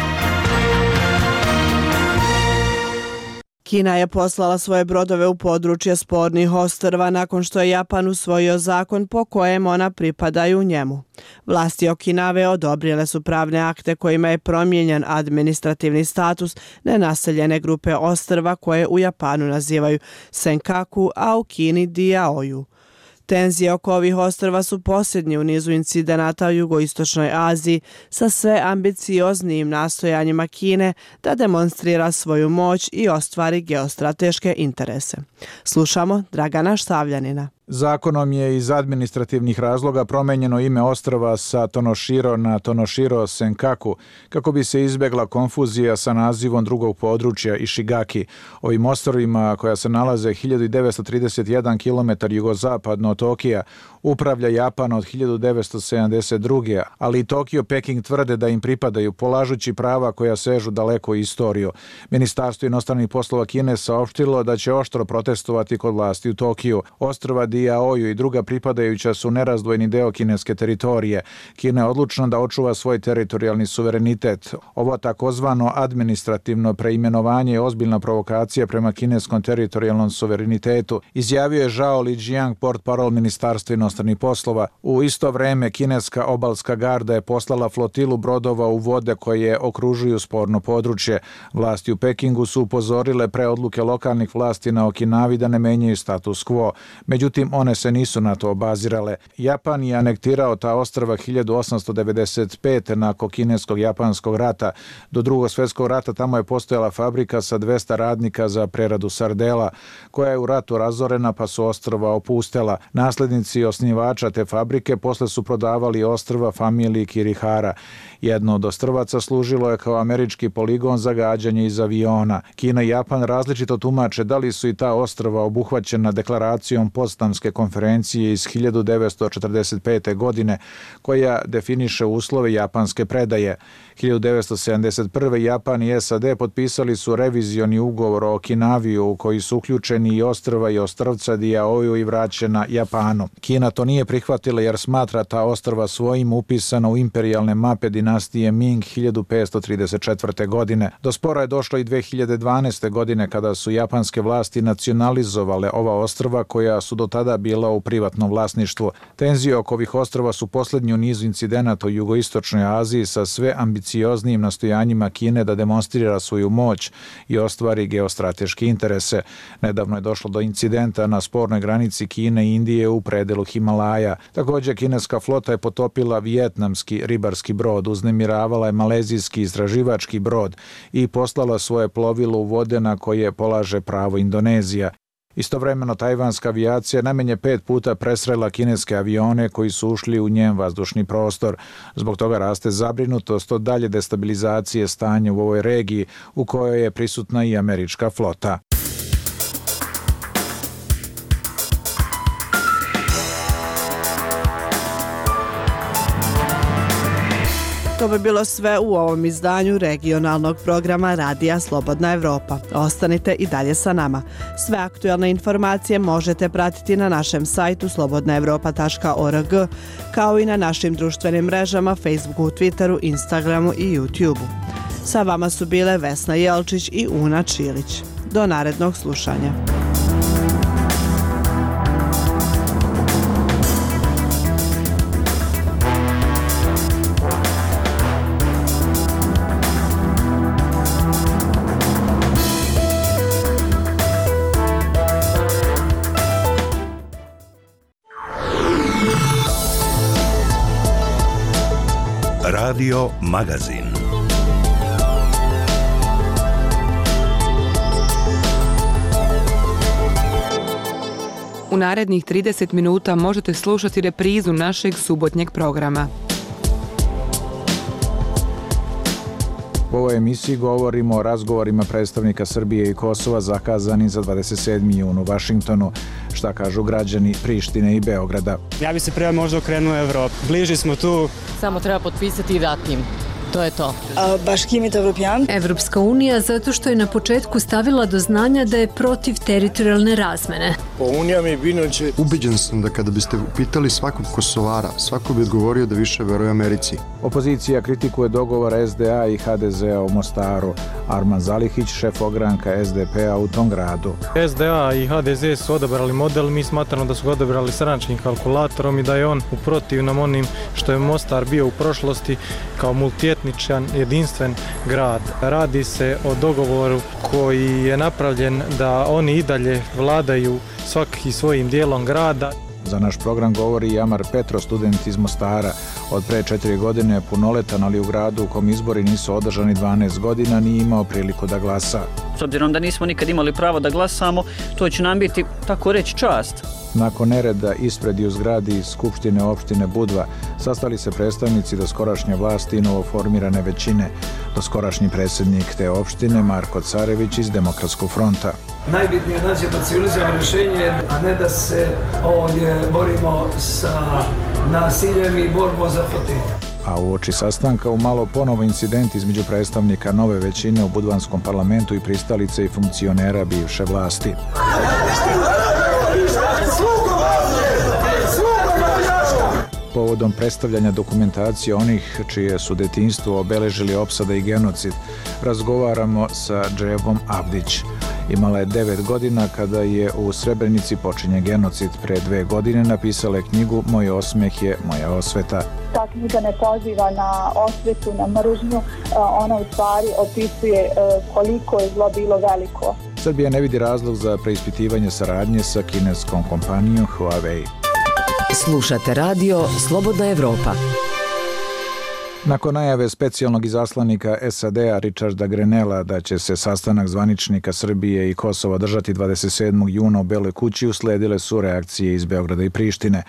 Kina je poslala svoje brodove u područje spornih ostrva nakon što je Japan usvojio zakon po kojem ona pripadaju njemu. Vlasti Okinave odobrile su pravne akte kojima je promijenjen administrativni status nenaseljene grupe ostrva koje u Japanu nazivaju Senkaku, a u Kini Diaoju. Tenzije oko ovih ostrva su posljednji u nizu incidenata u jugoistočnoj Aziji sa sve ambicioznijim nastojanjima Kine da demonstrira svoju moć i ostvari geostrateške interese. Slušamo Dragana Štavljanina. Zakonom je iz administrativnih razloga promenjeno ime ostrva sa Tonoshiro na Tonoshiro Senkaku kako bi se izbjegla konfuzija sa nazivom drugog područja Ishigaki. Ovim ostrvima, koja se nalaze 1931 km jugozapadno od Tokija, upravlja Japan od 1972. Ali i Tokio, Peking tvrde da im pripadaju, polažući prava koja sežu daleko u istoriju. Ministarstvo inostranih poslova Kine saopštilo da će oštro protestovati kod vlasti u Tokiju. Ostrva Diaoju i druga pripadajuća su nerazdvojni deo kineske teritorije. Kina je odlučna da očuva svoj teritorijalni suverenitet. Ovo takozvano administrativno preimenovanje je ozbiljna provokacija prema kineskom teritorijalnom suverenitetu, izjavio je Zhao Lijiang, portparol Ministarstva inostranih poslova. U isto vreme kineska obalska garda je poslala flotilu brodova u vode koje okružuju sporno područje. Vlasti u Pekingu su upozorile pre odluke lokalnih vlasti na Okinavi da ne menjaju status quo. Međutim, one se nisu na to obazirale. Japan je anektirao ta ostrva 1895. nakon kinesko-japanskog rata. Do Drugog svjetskog rata tamo je postojala fabrika sa 200 radnika za preradu sardela, koja je u ratu razorena pa su ostrva opustela. Naslednici osnivača te fabrike posle su prodavali ostrva familiji Kirihara. Jedno od ostrvaca služilo je kao američki poligon za gađanje iz aviona. Kina i Japan različito tumače da li su i ta ostrva obuhvaćena deklaracijom Potsdamske konferencije iz 1945. godine, koja definiše uslove japanske predaje. 1971. Japan i SAD potpisali su revizioni ugovor o Okinavi u koji su uključeni i ostrva i ostrvca Diaoju i vraćena Japanu. Kina to nije prihvatila jer smatra ta ostrva svojim upisana u imperijalne mape dinastije Ming 1534. godine. Do spora je došlo i 2012. godine kada su japanske vlasti nacionalizovale ova ostrva koja su do tada bila u privatnom vlasništvu. Tenzije oko ovih ostrva su posljednji u nizu incidenata u jugoistočnoj Aziji sa sve ambicioznijim nastojanjima Kine da demonstrira svoju moć i ostvari geostrateške interese. Nedavno je došlo do incidenta na spornoj granici Kine i Indije u predelu Himalaja. Također kineska flota je potopila vijetnamski ribarski brod, uznemiravala je malezijski istraživački brod i poslala svoje plovilo u vode na koje polaže pravo Indonezija. Istovremeno, tajvanska avijacija najmanje 5 puta presrela kineske avione koji su ušli u njen vazdušni prostor. Zbog toga raste zabrinutost od dalje destabilizacije stanja u ovoj regiji u kojoj je prisutna i američka flota. To bi bilo sve u ovom izdanju regionalnog programa Radija Slobodna Evropa. Ostanite i dalje sa nama. Sve aktuelne informacije možete pratiti na našem sajtu slobodnaevropa.org, kao i na našim društvenim mrežama Facebooku, Twitteru, Instagramu i YouTubeu. Sa vama su bile Vesna Jelčić i Una Čilić. Do narednog slušanja. Radio Magazin. U narednih 30 minuta možete slušati reprizu našeg subotnjeg programa. U ovoj emisiji govorimo o razgovorima predstavnika Srbije i Kosova zakazani za 27. jun u Vašingtonu. Šta kažu građani Prištine i Beograda? Ja bi se prije možda okrenuo Evropi. Bliži smo tu. Samo treba potpisati i dati im. To je to. Evropska unija zato što je na početku stavila do znanja da je protiv teritorijalne razmene. Ubeđen sam da kada biste upitali svakog Kosovara, svako bi odgovorio da više veruje Americi. Opozicija kritikuje dogovor SDA i HDZ-a u Mostaru. Arman Zalihić, šef ogranka SDP-a u tom gradu. SDA i HDZ su odabrali model, mi smatramo da su ga odabrali stranačkim kalkulatorom i da je on u protivnom onim što je Mostar bio u prošlosti kao multietničan, jedinstven grad. Radi se o dogovoru koji je napravljen da oni i dalje vladaju svaki svojim dijelom grada. Za naš program govori i Amar Petro, student iz Mostara. Od pre 4 godine je punoletan, ali u gradu u kom izbori nisu održani 12 godina nije imao priliku da glasa. S obzirom da nismo nikad imali pravo da glasamo, to će nam biti, tako reći, čast. Nakon nereda ispred i u zgradi Skupštine opštine Budva sastali se predstavnici doskorašnje vlasti i novoformirane većine. Doskorašnji predsjednik te opštine Marko Carević iz Demokratskog fronta. Najbitnije je naći civilizovano rješenje, a ne da se ovdje borimo sa nasiljem i borbom za fotelje. A uoči sastanka umalo ponovo incident između predstavnika nove većine u Budvanskom parlamentu i pristalice i funkcionera bivše vlasti. Povodom predstavljanja dokumentacije onih čije su detinjstvo obeležili opsada i genocid, razgovaramo sa Džebom Abdić. Imala je 9 godina kada je u Srebrenici počinje genocid. Pre 2 godine napisala je knjigu Moj osmeh je moja osveta. Ta knjiga ne poziva na osvetu, na mržnju, ona u stvari opisuje koliko je zlo bilo veliko. Srbija ne vidi razlog za preispitivanje saradnje sa kineskom kompanijom Huawei. Slušate radio Slobodna Evropa. Nakon najave specijalnog izaslanika SAD-a Richarda Grenella da će se sastanak zvaničnika Srbije i Kosova držati 27. juna u Beloj kući, usledile su reakcije iz Beograda i Prištine.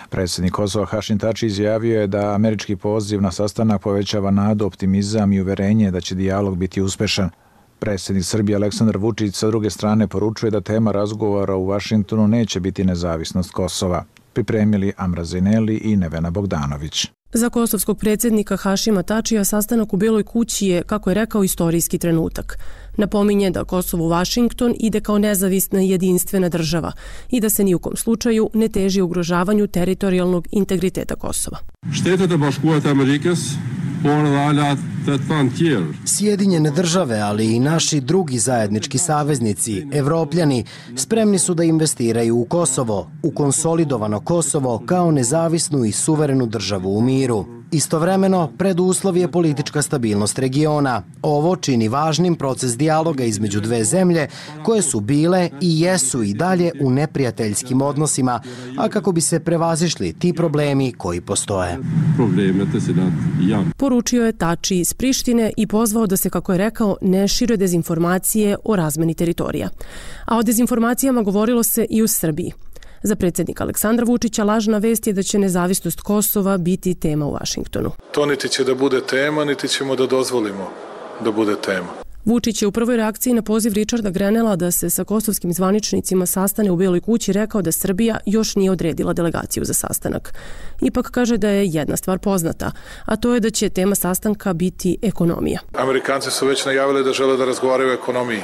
Predsjednik Kosova Hašim Tači izjavio je da američki poziv na sastanak povećava nadu, optimizam i uverenje da će dijalog biti uspešan. Predsjednik Srbije Aleksandar Vučić sa druge strane poručuje da tema razgovora u Vašingtonu neće biti nezavisnost Kosova. Pripremili Amra Zeneli i Nevena Bogdanović. Za kosovskog predsjednika Hašima Tačija sastanak u Beloj kući je, kako je rekao, istorijski trenutak. Napominje da Kosovo u Vašington ide kao nezavisna i jedinstvena država i da se ni u kom slučaju ne teži ugrožavanju teritorijalnog integriteta Kosova. Sjedinjene države, ali i naši drugi zajednički saveznici, Evropljani, spremni su da investiraju u Kosovo, u konsolidovano Kosovo kao nezavisnu i suverenu državu u miru. Istovremeno, preduslov je politička stabilnost regiona. Ovo čini važnim proces dijaloga između dve zemlje koje su bile i jesu i dalje u neprijateljskim odnosima, a kako bi se prevazišli ti problemi koji postoje. Poručio je Tači iz Prištine i pozvao da se, kako je rekao, ne šire dezinformacije o razmeni teritorija. A o dezinformacijama govorilo se i u Srbiji. Za predsjednika Aleksandra Vučića lažna vest je da će nezavisnost Kosova biti tema u Vašingtonu. To niti će da bude tema, niti ćemo da dozvolimo da bude tema. Vučić je u prvoj reakciji na poziv Richarda Grenella da se sa kosovskim zvaničnicima sastane u Bijeloj kući rekao da Srbija još nije odredila delegaciju za sastanak. Ipak kaže da je jedna stvar poznata, a to je da će tema sastanka biti ekonomija. Amerikanci su već najavili da žele da razgovaraju o ekonomiji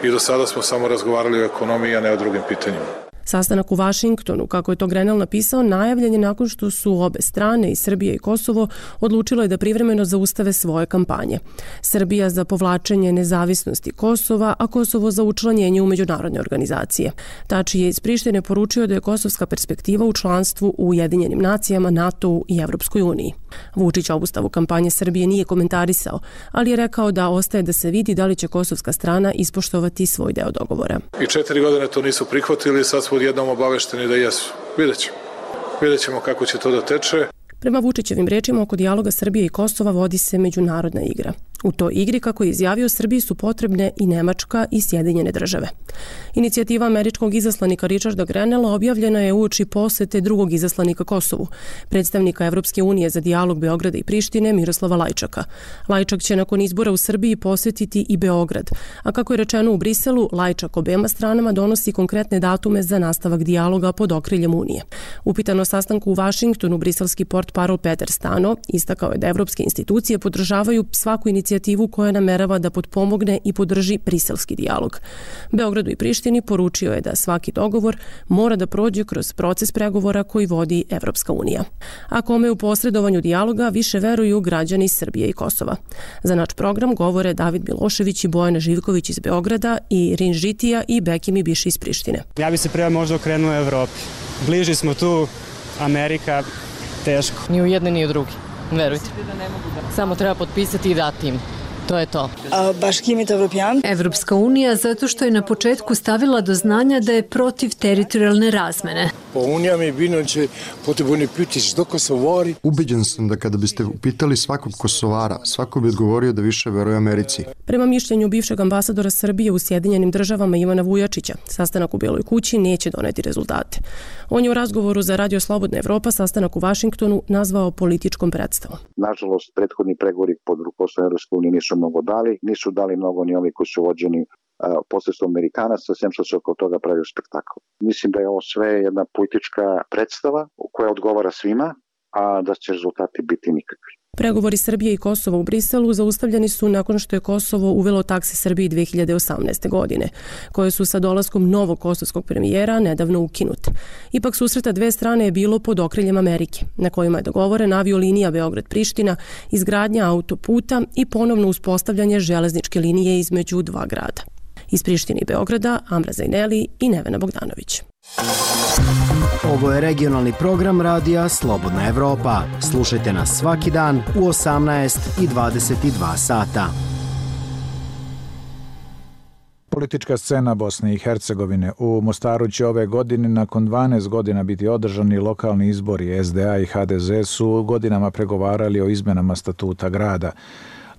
i do sada smo samo razgovarali o ekonomiji, a ne o drugim pitanjima. Sastanak u Vašingtonu, kako je to Grenell napisao, najavljen je nakon što su obe strane, i Srbija i Kosovo, odlučilo je da privremeno zaustave svoje kampanje. Srbija za povlačenje nezavisnosti Kosova, a Kosovo za učlanjenje u međunarodne organizacije. Tači je iz Prištine poručio da je kosovska perspektiva u članstvu u Ujedinjenim nacijama, NATO-u i Evropskoj uniji. Vučić obustavu kampanje Srbije nije komentarisao, ali je rekao da ostaje da se vidi da li će kosovska strana ispoštovati svoj deo dogovora. I 4 godine to nisu prihvatili, sad smo odjednom obavešteni da jesu. Vidjet ćemo kako će to da teče. Prema Vučićevim rečima, oko dijaloga Srbije i Kosova vodi se međunarodna igra. U toj igri, kako je izjavio, Srbiji su potrebne i Nemačka i Sjedinjene države. Inicijativa američkog izaslanika Richarda Grenella objavljena je uoči posete drugog izaslanika Kosovu, predstavnika Evropske unije za dijalog Beograda i Prištine Miroslava Lajčaka. Lajčak će nakon izbora u Srbiji posetiti i Beograd, a kako je rečeno u Briselu, Lajčak obema stranama donosi konkretne datume za nastavak dijaloga pod okriljem Unije. Upitan o sastanku u Vašingtonu, briselski portparol Peter Stano istakao je da evropske institucije podržavaju svaku inicijativu koja namerava da potpomogne i podrži briselski dijalog. Beogradu i Prištini poručio je da svaki dogovor mora da prođe kroz proces pregovora koji vodi Evropska unija. A kome u posredovanju dijaloga više veruju građani Srbije i Kosova. Za naš program govore David Milošević i Bojana Živković iz Beograda i Rin Žitija i Bekimi Biši iz Prištine. Ja bi se prema možda okrenuo Evropi. Bliži smo tu, Amerika, teško. Ni u jedne, ni u drugi. Verujte. Samo treba potpisati i dati im. To je to. Evropska unija zato što je na početku stavila do znanja da je protiv teritorijalne razmene. Ubeđen sam da kada biste upitali svakog Kosovara, svako bi odgovorio da više veruje Americi. Prema mišljenju bivšeg ambasadora Srbije u Sjedinjenim državama Ivana Vujačića, sastanak u Bijeloj kući neće doneti rezultate. On je u razgovoru za Radio Slobodna Evropa sastanak u Vašingtonu nazvao političkom predstavom. Nažalost, prethodni pregovori pod rukovodstvom Evropske unije nisu dali mnogo ni ovi koji su vođeni posredstvom Amerikanaca, sem što se oko toga pravio spektakl. Mislim da je ovo sve jedna politička predstava koja odgovara svima, a da će rezultati biti nikakvi. Pregovori Srbije i Kosova u Briselu zaustavljeni su nakon što je Kosovo uvelo takse Srbiji 2018. godine, koje su sa dolaskom novog kosovskog premijera nedavno ukinute. Ipak susreta dve strane je bilo pod okriljem Amerike, na kojima je dogovoren aviolinija Beograd-Priština, izgradnja autoputa i ponovno uspostavljanje železničke linije između dva grada. Iz Prištine i Beograda, Amra Zajneli i Nevena Bogdanović. Ovo je regionalni program radija Slobodna Evropa. Slušajte nas svaki dan u 18 i 22 sata. Politička scena Bosne i Hercegovine. U Mostaru će ove godine nakon 12 godina biti održani lokalni izbori. SDA i HDZ su godinama pregovarali o izmenama statuta grada.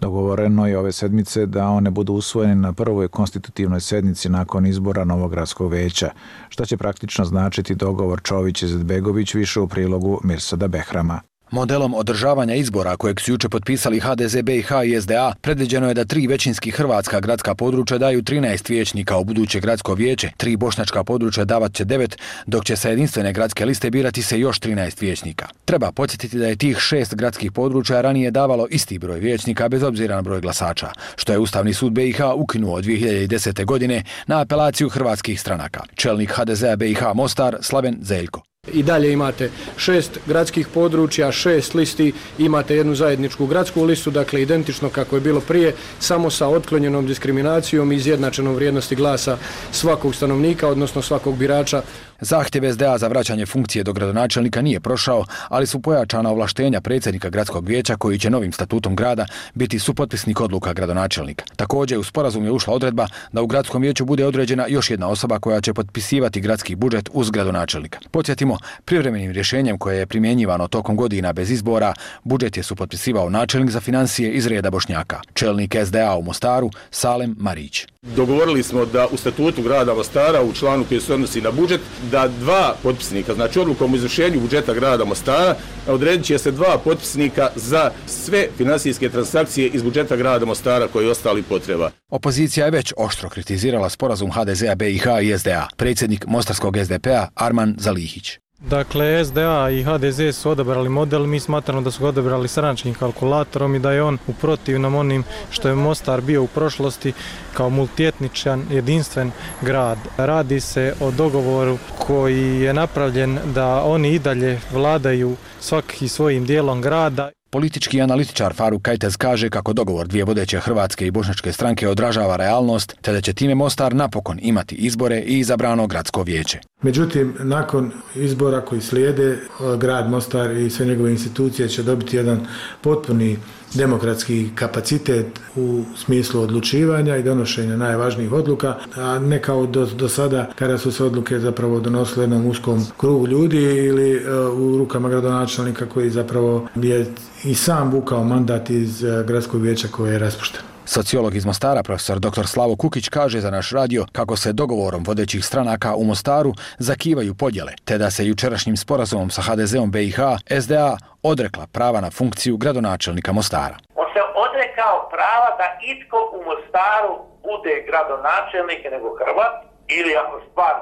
Dogovoreno je ove sedmice da one budu usvojene na prvoj konstitutivnoj sednici nakon izbora novog gradskog veća. Šta će praktično značiti dogovor Čović-Izetbegović, više u prilogu Mirsada Behrama. Modelom održavanja izbora kojeg su juče potpisali HDZ, BiH i SDA, predviđeno je da 3 većinski hrvatska gradska područja daju 13 vijećnika u buduće gradsko vijeće, 3 bošnjačka područja davat će 9, dok će sa jedinstvene gradske liste birati se još 13 vijećnika. Treba podsjetiti da je tih 6 gradskih područja ranije davalo isti broj vijećnika bez obzira na broj glasača, što je Ustavni sud BiH ukinuo 2010. godine na apelaciju hrvatskih stranaka. Čelnik HDZ-a BiH Mostar Slaven Zeljko. I dalje imate 6 gradskih područja, 6 listi, imate jednu zajedničku gradsku listu, dakle identično kako je bilo prije, samo sa otklonjenom diskriminacijom i izjednačenom vrijednosti glasa svakog stanovnika, odnosno svakog birača. Zahtjev SDA za vraćanje funkcije do gradonačelnika nije prošao, ali su pojačana ovlaštenja predsjednika gradskog vijeća koji će novim statutom grada biti supotpisnik odluka gradonačelnika. Također u sporazum je ušla odredba da u gradskom vijeću bude određena još jedna osoba koja će potpisivati gradski budžet uz gradonačelnika. Podsjetimo, privremenim rješenjem koje je primjenjivano tokom godina bez izbora, budžet je supotpisivao načelnik za financije iz reda Bošnjaka, čelnik SDA u Mostaru Salem Marić. Dogovorili smo da u statutu grada Mostara, u članu koji se odnosi na budžet, da 2 potpisnika, znači odlukom o izvršenju budžeta grada Mostara, odredit će se 2 potpisnika za sve finansijske transakcije iz budžeta grada Mostara koji ostali potreba. Opozicija je već oštro kritizirala sporazum HDZ-a BiH i SDA. Predsjednik mostarskog SDP-a Arman Zalihić. Dakle, SDA i HDZ su odabrali model, mi smatramo da su ga odabrali stranačkim kalkulatorom i da je on u protivnom onim što je Mostar bio u prošlosti kao multietničan, jedinstven grad. Radi se o dogovoru koji je napravljen da oni i dalje vladaju svaki svojim dijelom grada. Politički analitičar Faruk Kajtez kaže kako dogovor dvije vodeće hrvatske i bošnjačke stranke odražava realnost, te da će time Mostar napokon imati izbore i izabrano gradsko vijeće. Međutim, nakon izbora koji slijede, grad Mostar i sve njegove institucije će dobiti jedan potpuni demokratski kapacitet u smislu odlučivanja i donošenja najvažnijih odluka, a ne kao do sada kada su se odluke zapravo donosile jednom uskom krugu ljudi ili u rukama gradonačelnika koji zapravo je i sam vukao mandat iz gradskog vijeća koje je raspušteno. Sociolog iz Mostara, profesor dr. Slavo Kukić, kaže za naš radio kako se dogovorom vodećih stranaka u Mostaru zakivaju podjele, te da se jučerašnjim sporazumom sa HDZ-om BiH SDA odrekla prava na funkciju gradonačelnika Mostara. On se odrekao prava da itko u Mostaru bude gradonačelnik nego Hrvat, ili ako stvar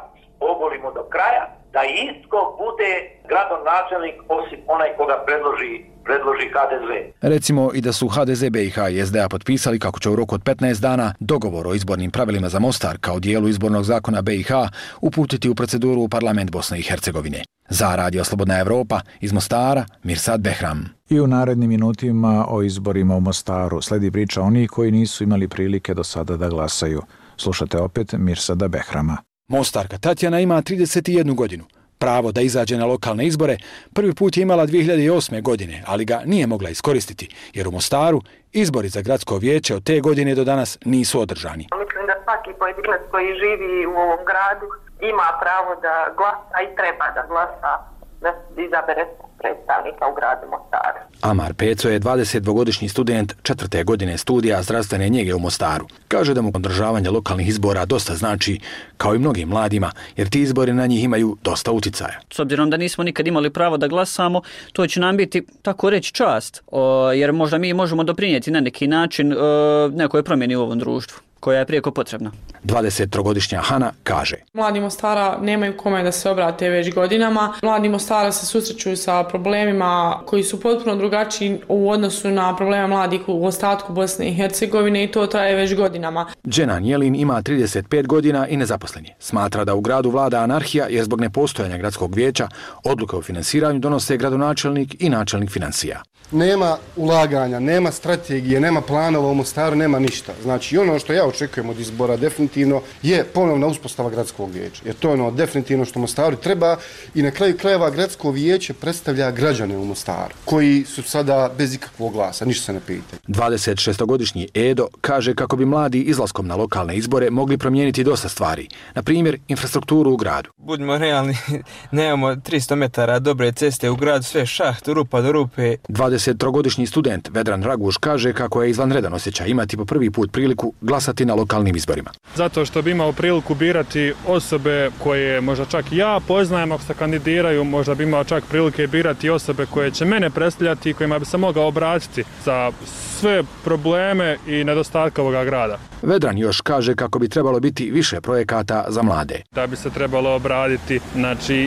ogolimo do kraja, da itko bude gradonačelnik osim onaj koga predloži HDZ. Recimo i da su HDZ, BiH i SDA potpisali kako će u roku od 15 dana dogovor o izbornim pravilima za Mostar kao dijelu izbornog zakona BiH uputiti u proceduru u parlament Bosne i Hercegovine. Za Radio Slobodna Evropa iz Mostara, Mirsad Behram. I u narednim minutima o izborima u Mostaru sledi priča onih koji nisu imali prilike do sada da glasaju. Slušate opet Mirsada Behrama. Mostarka Tatjana ima 31 godinu. Pravo da izađe na lokalne izbore prvi put je imala 2008. godine, ali ga nije mogla iskoristiti, jer u Mostaru izbori za gradsko vijeće od te godine do danas nisu održani. Mislim da svaki pojedinac koji živi u ovom gradu ima pravo da glasa i treba da glasa, da izabere predstavnika u gradu Mostaru. Amar Peco je 22-godišnji student 4. godine studija zdravstvene njege u Mostaru. Kaže da mu održavanje lokalnih izbora dosta znači, kao i mnogim mladima, jer ti izbori na njih imaju dosta uticaja. S obzirom da nismo nikad imali pravo da glasamo, to će nam biti, tako reći, čast, jer možda mi možemo doprinijeti na neki način nekoj promjeni u ovom društvu koja je prijeko potrebna. 23-godišnja Hana kaže: Mladi Mostara nemaju kome da se obrate već godinama. Mladi Mostara se susreću sa problemima koji su potpuno drugačiji u odnosu na probleme mladih u ostatku Bosne i Hercegovine i to traje već godinama. Dženan Jelin ima 35 godina i nezaposlen je. Smatra da u gradu vlada anarhija jer zbog nepostojanja gradskog vijeća odluke o finansiranju donose gradonačelnik i načelnik financija. Nema ulaganja, nema strategije, nema planova u Mostaru, nema ništa. Znači ono što ja očekujem od izbora definitivno je ponovna uspostava gradskog vijeća. Jer to je ono definitivno što Mostaru treba i na kraju krajeva gradsko vijeće predstavlja građane u Mostaru koji su sada bez ikakvog glasa, ništa se ne pita. 26-godišnji Edo kaže kako bi mladi izlaskom na lokalne izbore mogli promijeniti dosta stvari. Na primjer, infrastrukturu u gradu. Budimo realni, nemamo 300 metara dobre ceste u gradu, sve šaht, rupa do rupe. 23-godišnji student Vedran Raguš kaže kako je izvanredan osjećaj imati po prvi put priliku glasati na lokalnim izborima. Zato što bi imao priliku birati osobe koje možda čak i ja poznajem ako se kandidiraju, možda bi imao čak prilike birati osobe koje će mene predstavljati i kojima bi se mogao obratiti za sve probleme i nedostatke ovoga grada. Vedran još kaže kako bi trebalo biti više projekata za mlade. Da bi se trebalo obraditi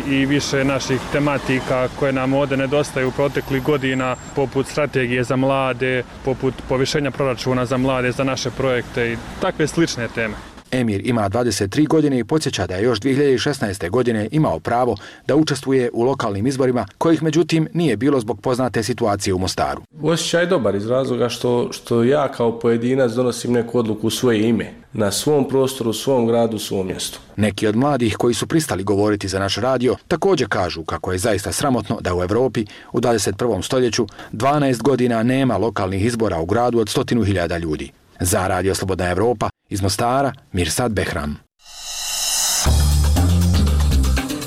i više naših tematika koje nam ovdje nedostaju u proteklih godina, poput strategije za mlade, poput povišenja proračuna za mlade, za naše projekte i takve slične teme. Emir ima 23 godine i podsjeća da je još 2016. godine imao pravo da učestvuje u lokalnim izborima, kojih međutim nije bilo zbog poznate situacije u Mostaru. Osjećaj je dobar iz razloga što ja kao pojedinac donosim neku odluku u svoje ime, na svom prostoru, u svom gradu, u svom mjestu. Neki od mladih koji su pristali govoriti za naš radio također kažu kako je zaista sramotno da u Evropi u 21. stoljeću 12 godina nema lokalnih izbora u gradu od 100.000 ljudi. Za Radio Slobodna Evropa, iz Mostara, Mirsad Behram.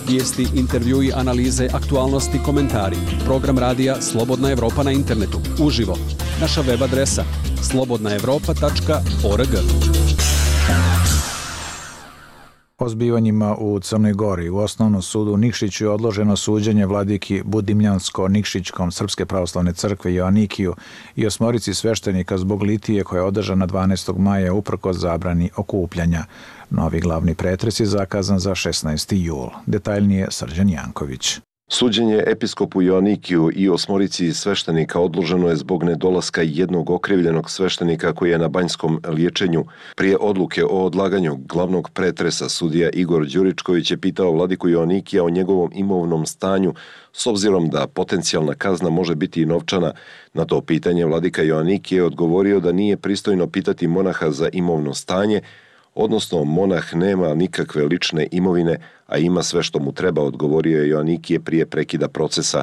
Vijesti, intervjui, analize, aktualnosti, komentari. Program radija Slobodna Evropa na internetu. Uživo. Naša web adresa slobodnaevropa.org. O zbivanjima u Crnoj Gori u Osnovnom sudu u Nikšiću je odloženo suđenje vladiki Budimljansko-Nikšićkom Srpske pravoslavne crkve Joanikiju i 8 sveštenika zbog litije koja je održana 12. maja uprkos zabrani okupljanja. Novi glavni pretres je zakazan za 16. jul. Detaljnije Srđan Janković. Suđenje episkopu Joanikiju i 8 sveštenika odloženo je zbog nedolaska jednog okrivljenog sveštenika koji je na banjskom liječenju. Prije odluke o odlaganju glavnog pretresa sudija Igor Đuričković je pitao vladiku Joanikija o njegovom imovnom stanju, s obzirom da potencijalna kazna može biti i novčana. Na to pitanje vladika Joanikije je odgovorio da nije pristojno pitati monaha za imovno stanje, odnosno monah nema nikakve lične imovine, a ima sve što mu treba, odgovorio je Joanikije prije prekida procesa.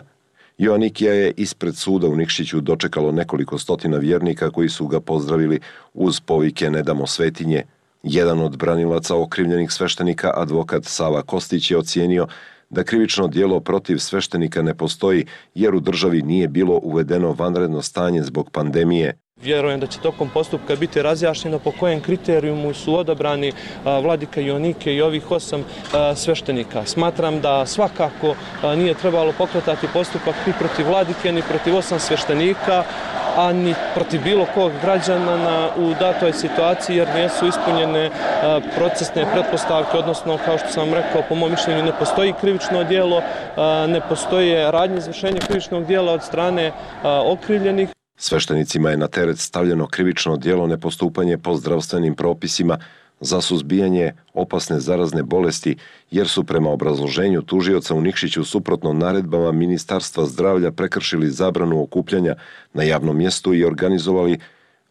Joanikija je ispred suda u Nikšiću dočekalo nekoliko stotina vjernika koji su ga pozdravili uz povike "Ne damo svetinje". Jedan od branilaca okrivljenih sveštenika, advokat Sava Kostić, je ocijenio da krivično djelo protiv sveštenika ne postoji jer u državi nije bilo uvedeno vanredno stanje zbog pandemije. Vjerujem da će tokom postupka biti razjašnjeno po kojem kriterijumu su odabrani vladika Joanike i ovih 8 sveštenika. Smatram da svakako nije trebalo pokretati postupak ni protiv vladike, ni protiv 8 sveštenika, a ni protiv bilo kog građana u datoj situaciji, jer nisu ispunjene procesne pretpostavke, odnosno, kao što sam rekao, po mom mišljenju ne postoji krivično djelo, ne postoje radnje izvršenja krivičnog djela od strane okrivljenih. Sveštenicima je na teret stavljeno krivično djelo nepostupanje po zdravstvenim propisima za suzbijanje opasne zarazne bolesti, jer su prema obrazloženju tužioca u Nikšiću suprotno naredbama Ministarstva zdravlja prekršili zabranu okupljanja na javnom mjestu i organizovali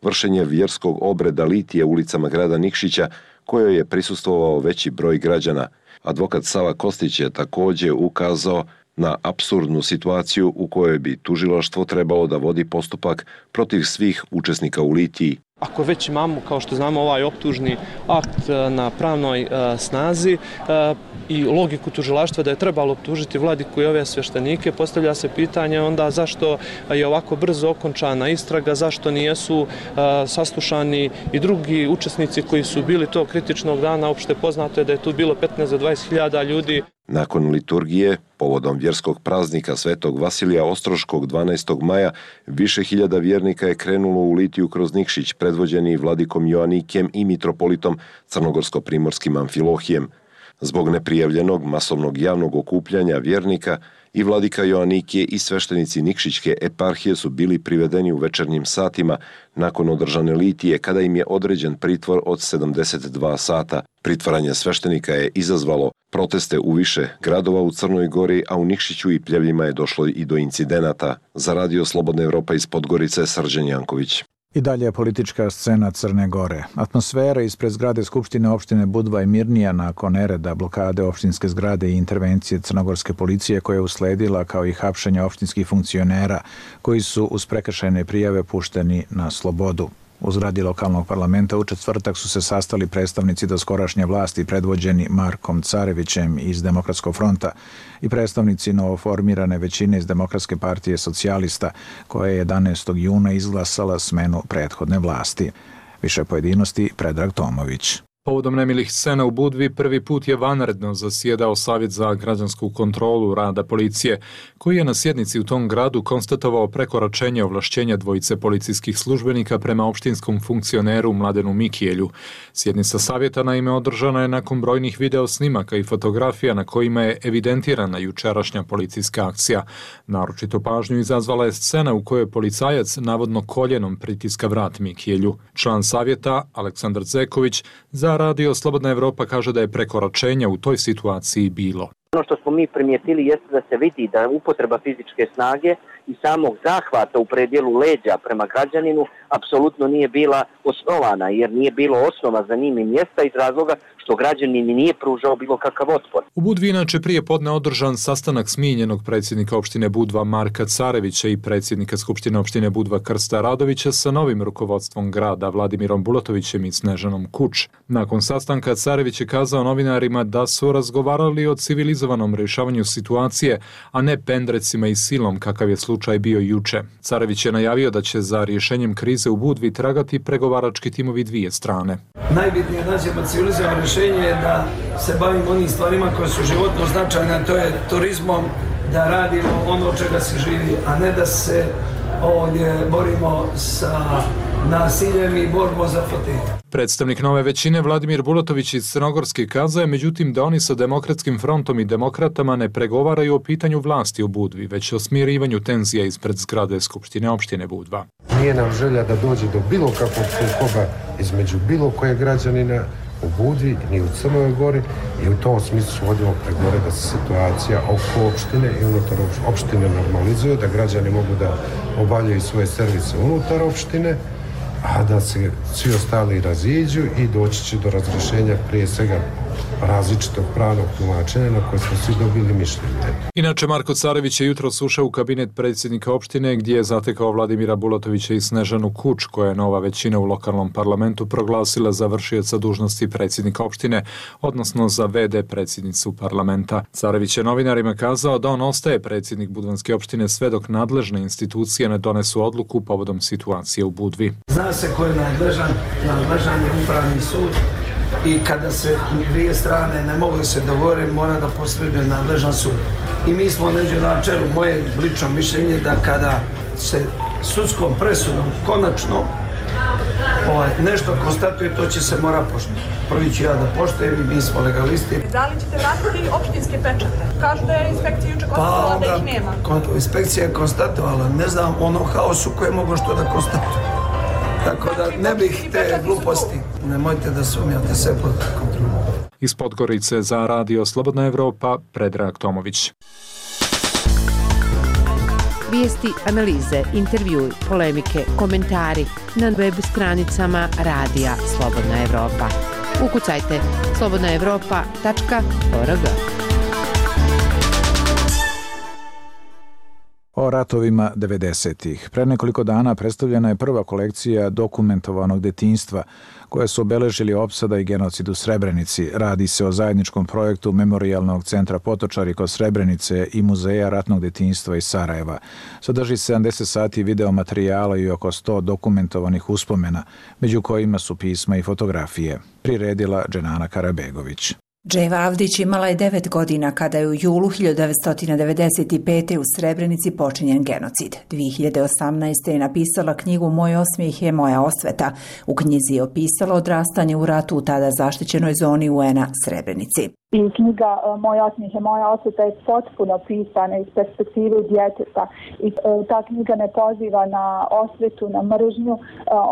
vršenje vjerskog obreda litije ulicama grada Nikšića, kojoj je prisustvovao veći broj građana. Advokat Sava Kostić je također ukazao na apsurdnu situaciju u kojoj bi tužilaštvo trebalo da vodi postupak protiv svih učesnika u litiji. Ako već imamo, kao što znamo, ovaj optužni akt na pravnoj snazi i logiku tužilaštva da je trebalo optužiti vladiku i ove sveštenike, postavlja se pitanje onda zašto je ovako brzo okončana istraga, zašto nijesu saslušani i drugi učesnici koji su bili tog kritičnog dana. Opšte poznato je da je tu bilo 15 do 20.000 ljudi. Nakon liturgije, povodom vjerskog praznika Svetog Vasilija Ostroškog 12. maja, više hiljada vjernika je krenulo u litiju kroz Nikšić, predvođeni vladikom Joanikijem i mitropolitom crnogorsko-primorskim Amfilohijem. Zbog neprijavljenog masovnog javnog okupljanja vjernika, i vladika Joanikije i sveštenici Nikšićke eparhije su bili privedeni u večernjim satima nakon održane litije, kada im je određen pritvor od 72 sata. Pritvaranje sveštenika je izazvalo proteste u više gradova u Crnoj Gori, a u Nikšiću i Pljevljima je došlo i do incidenata. Za Radio Slobodna Evropa iz Podgorice, Srđan Janković. I dalje je politička scena Crne Gore. Atmosfera ispred zgrade Skupštine opštine Budva je mirnija nakon nereda, blokade opštinske zgrade i intervencije crnogorske policije koja je usledila, kao i hapšenja opštinskih funkcionera koji su uz prekršajne prijave pušteni na slobodu. U zgradi lokalnog parlamenta u četvrtak su se sastali predstavnici doskorašnje vlasti predvođeni Markom Carevićem iz Demokratskog fronta i predstavnici novoformirane većine iz Demokratske partije socijalista, koja je 11. juna izglasala smenu prethodne vlasti. Više pojedinosti Predrag Tomović. Povodom nemilih scena u Budvi prvi put je vanredno zasjedao Savjet za građansku kontrolu rada policije, koji je na sjednici u tom gradu konstatovao prekoračenje ovlašćenja dvojice policijskih službenika prema opštinskom funkcioneru Mladenu Mikijelju. Sjednica savjeta naime održana je nakon brojnih video snimaka i fotografija na kojima je evidentirana jučerašnja policijska akcija. Naročito pažnju izazvala je scena u kojoj policajac navodno koljenom pritiska vrat Mikijelju. Član savjeta Aleksandar Zeković za za Radio Slobodna Evropa kaže da je prekoračenja u toj situaciji bilo. Ono što smo mi primijetili jeste da se vidi da upotreba fizičke snage i samog zahvata u predjelu leđa prema građaninu apsolutno nije bila osnovana, jer nije bilo osnova za njim i mjesta iz razloga što građanin nije pružao bilo kakav otpor. U Budvi inače prije podne održan sastanak smijenjenog predsjednika opštine Budva Marka Carevića i predsjednika Skupštine opštine Budva Krsta Radovića sa novim rukovodstvom grada Vladimirom Bulatovićem i Snežanom Kuč. Nakon sastanka Carević je kazao novinarima da su razgovarali o civilizovanom rješavanju situacije, a ne pendrecima i silom kakav je slučaj bio juče. Carević je najavio da će za rješenjem krize u Budvi tragati pregovarački timovi dvije strane. Najbitnije nađemo civilizovano rješenje je da se bavimo onim stvarima koje su životno značajne, to je turizmom, da radimo ono od čega se živi, a ne da se ovdje borimo sa nasiljem i borbom za fotelje. Predstavnik nove većine Vladimir Bulatović iz Crnogorske kazao je međutim da oni sa Demokratskim frontom i demokratama ne pregovaraju o pitanju vlasti u Budvi, već o smirivanju tenzija ispred zgrade Skupštine opštine Budva. Nije nam želja da dođe do bilo kakvog sukoba između bilo koje građanina u Budvi ni u Crnoj Gori i u tom smislu vodimo pregovore da se situacija oko opštine i unutar opštine normalizuje, da građani mogu da obavljaju svoje servise unutar opštine, a da se svi ostali raziđu i doći će do razrješenja prije svega različitog pravnog tumačenja na koje smo svi dobili mišljenje. Inače, Marko Carević je jutros ušao u kabinet predsjednika opštine gdje je zatekao Vladimira Bulatovića i Snežanu Kuč, koja je nova većina u lokalnom parlamentu proglasila za vršioca dužnosti predsjednika opštine, odnosno za VD predsjednicu parlamenta. Carević je novinarima kazao da on ostaje predsjednik Budvanske opštine sve dok nadležne institucije ne donesu odluku povodom situacije u Budvi. Zna se ko je nadležan je upravni sud i kada se dvije strane ne mogu se dogovoriti, mora da posreduje nadležan sud. I mi smo neđe na čelu, moje lično mišljenje da kada se sudskom presudom konačno nešto konstatuje, to će se mora poštovati. Prvi ću ja da poštujem i mi smo legalisti. Da li ćete vratiti opštinske pečate? Kažu da je inspekcija juče konstatovala da ih nema. Inspekcija je konstatovala, ne znam ono haosu koje mogu što da konstatuje. Tako da ne bih te gluposti. Nemojte da sumnjate sve pod kontrolom. Iz Podgorice za Radio Slobodna Evropa, Predrag Tomović. Vijesti, analize, intervjui, polemike, komentari na web stranicama Radija Slobodna Evropa. Ukucajte slobodnaevropa.org. O ratovima 90-ih. Pre nekoliko dana predstavljena je prva kolekcija dokumentovanog detinjstva koje su obeležili opsada i genocid u Srebrenici. Radi se o zajedničkom projektu Memorijalnog centra Potočari kod Srebrenice i Muzeja ratnog detinjstva iz Sarajeva. Sadrži 70 sati videomaterijala i oko 100 dokumentovanih uspomena, među kojima su pisma i fotografije. Priredila Dženana Karabegović. Dževa Avdić imala je 9 godina kada je u julu 1995. u Srebrenici počinjen genocid. 2018. je napisala knjigu Moj osmijeh je moja osveta. U knjizi je opisala odrastanje u ratu u tada zaštićenoj zoni UN-a Srebrenici. I knjiga Moj osmijeh je moja osveta je potpuno pisana iz perspektive djeteta. I ta knjiga ne poziva na osvetu, na mržnju.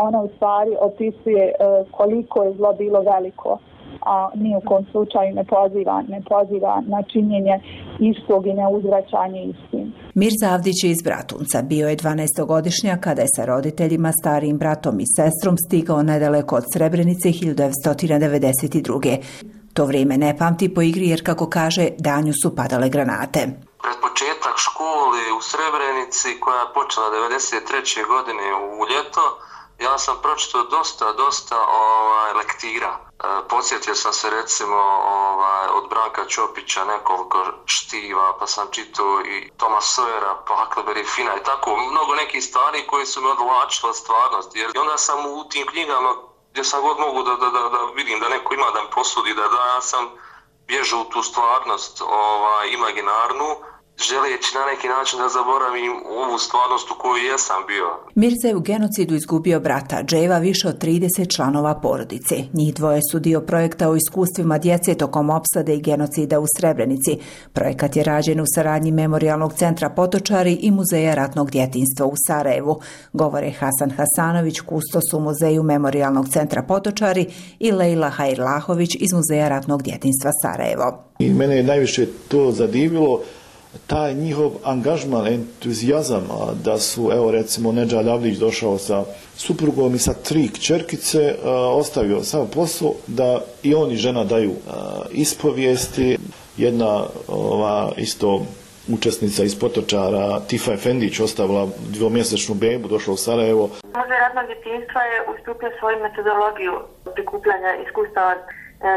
Ona u stvari opisuje koliko je zlo bilo veliko, a ni u kom slučaju ne poziva na činjenje istog i neuzvraćanje istim. Mirza Avdić iz Bratunca bio je 12-godišnjak kada je sa roditeljima, starijim bratom i sestrom stigao nedaleko od Srebrenice 1992. To vrijeme ne pamti po igri jer, kako kaže, danju su padale granate. Pred početak škole u Srebrenici koja je počela 93. godine u ljeto, ja sam pročitao dosta lektira. Podsjetio sam se recimo od Branka Ćopića nekoliko štiva, pa sam čitao i Toma Sawyera, pa Huckleberry Finna i tako mnogo nekih stvari koji su me odvlačile od stvarnosti. Jer onda sam u tim knjigama gdje sam god mogu da vidim da neko ima da mi posudi, da ja sam bježao u tu stvarnost imaginarnu, želeći na neki način da zaboravim ovu stvarnost u kojoj jesam bio. Mirza je u genocidu izgubio brata Dževa, više od 30 članova porodice. Njih dvoje su dio projekta o iskustvima djece tokom opsade i genocida u Srebrenici. Projekat je rađen u saradnji Memorijalnog centra Potočari i Muzeja ratnog djetinjstva u Sarajevu. Govore Hasan Hasanović, kustos u Muzeju Memorijalnog centra Potočari, i Lejla Hajrlahović iz Muzeja ratnog djetinjstva Sarajevo. I mene je najviše to zadivilo, taj njihov angažman, entuzijazam, da su, evo recimo, Nedžad Avlić došao sa suprugom i sa 3 kćerkice, ostavio sav posao da i on i žena daju ispovijesti. Jedna isto učesnica iz Potočara, Tifa Efendić, ostavila 2-mjesečnu bebu, došla u Sarajevo. Muzej ratnog djetinjstva je ustupio svoju metodologiju prikupljanja iskustava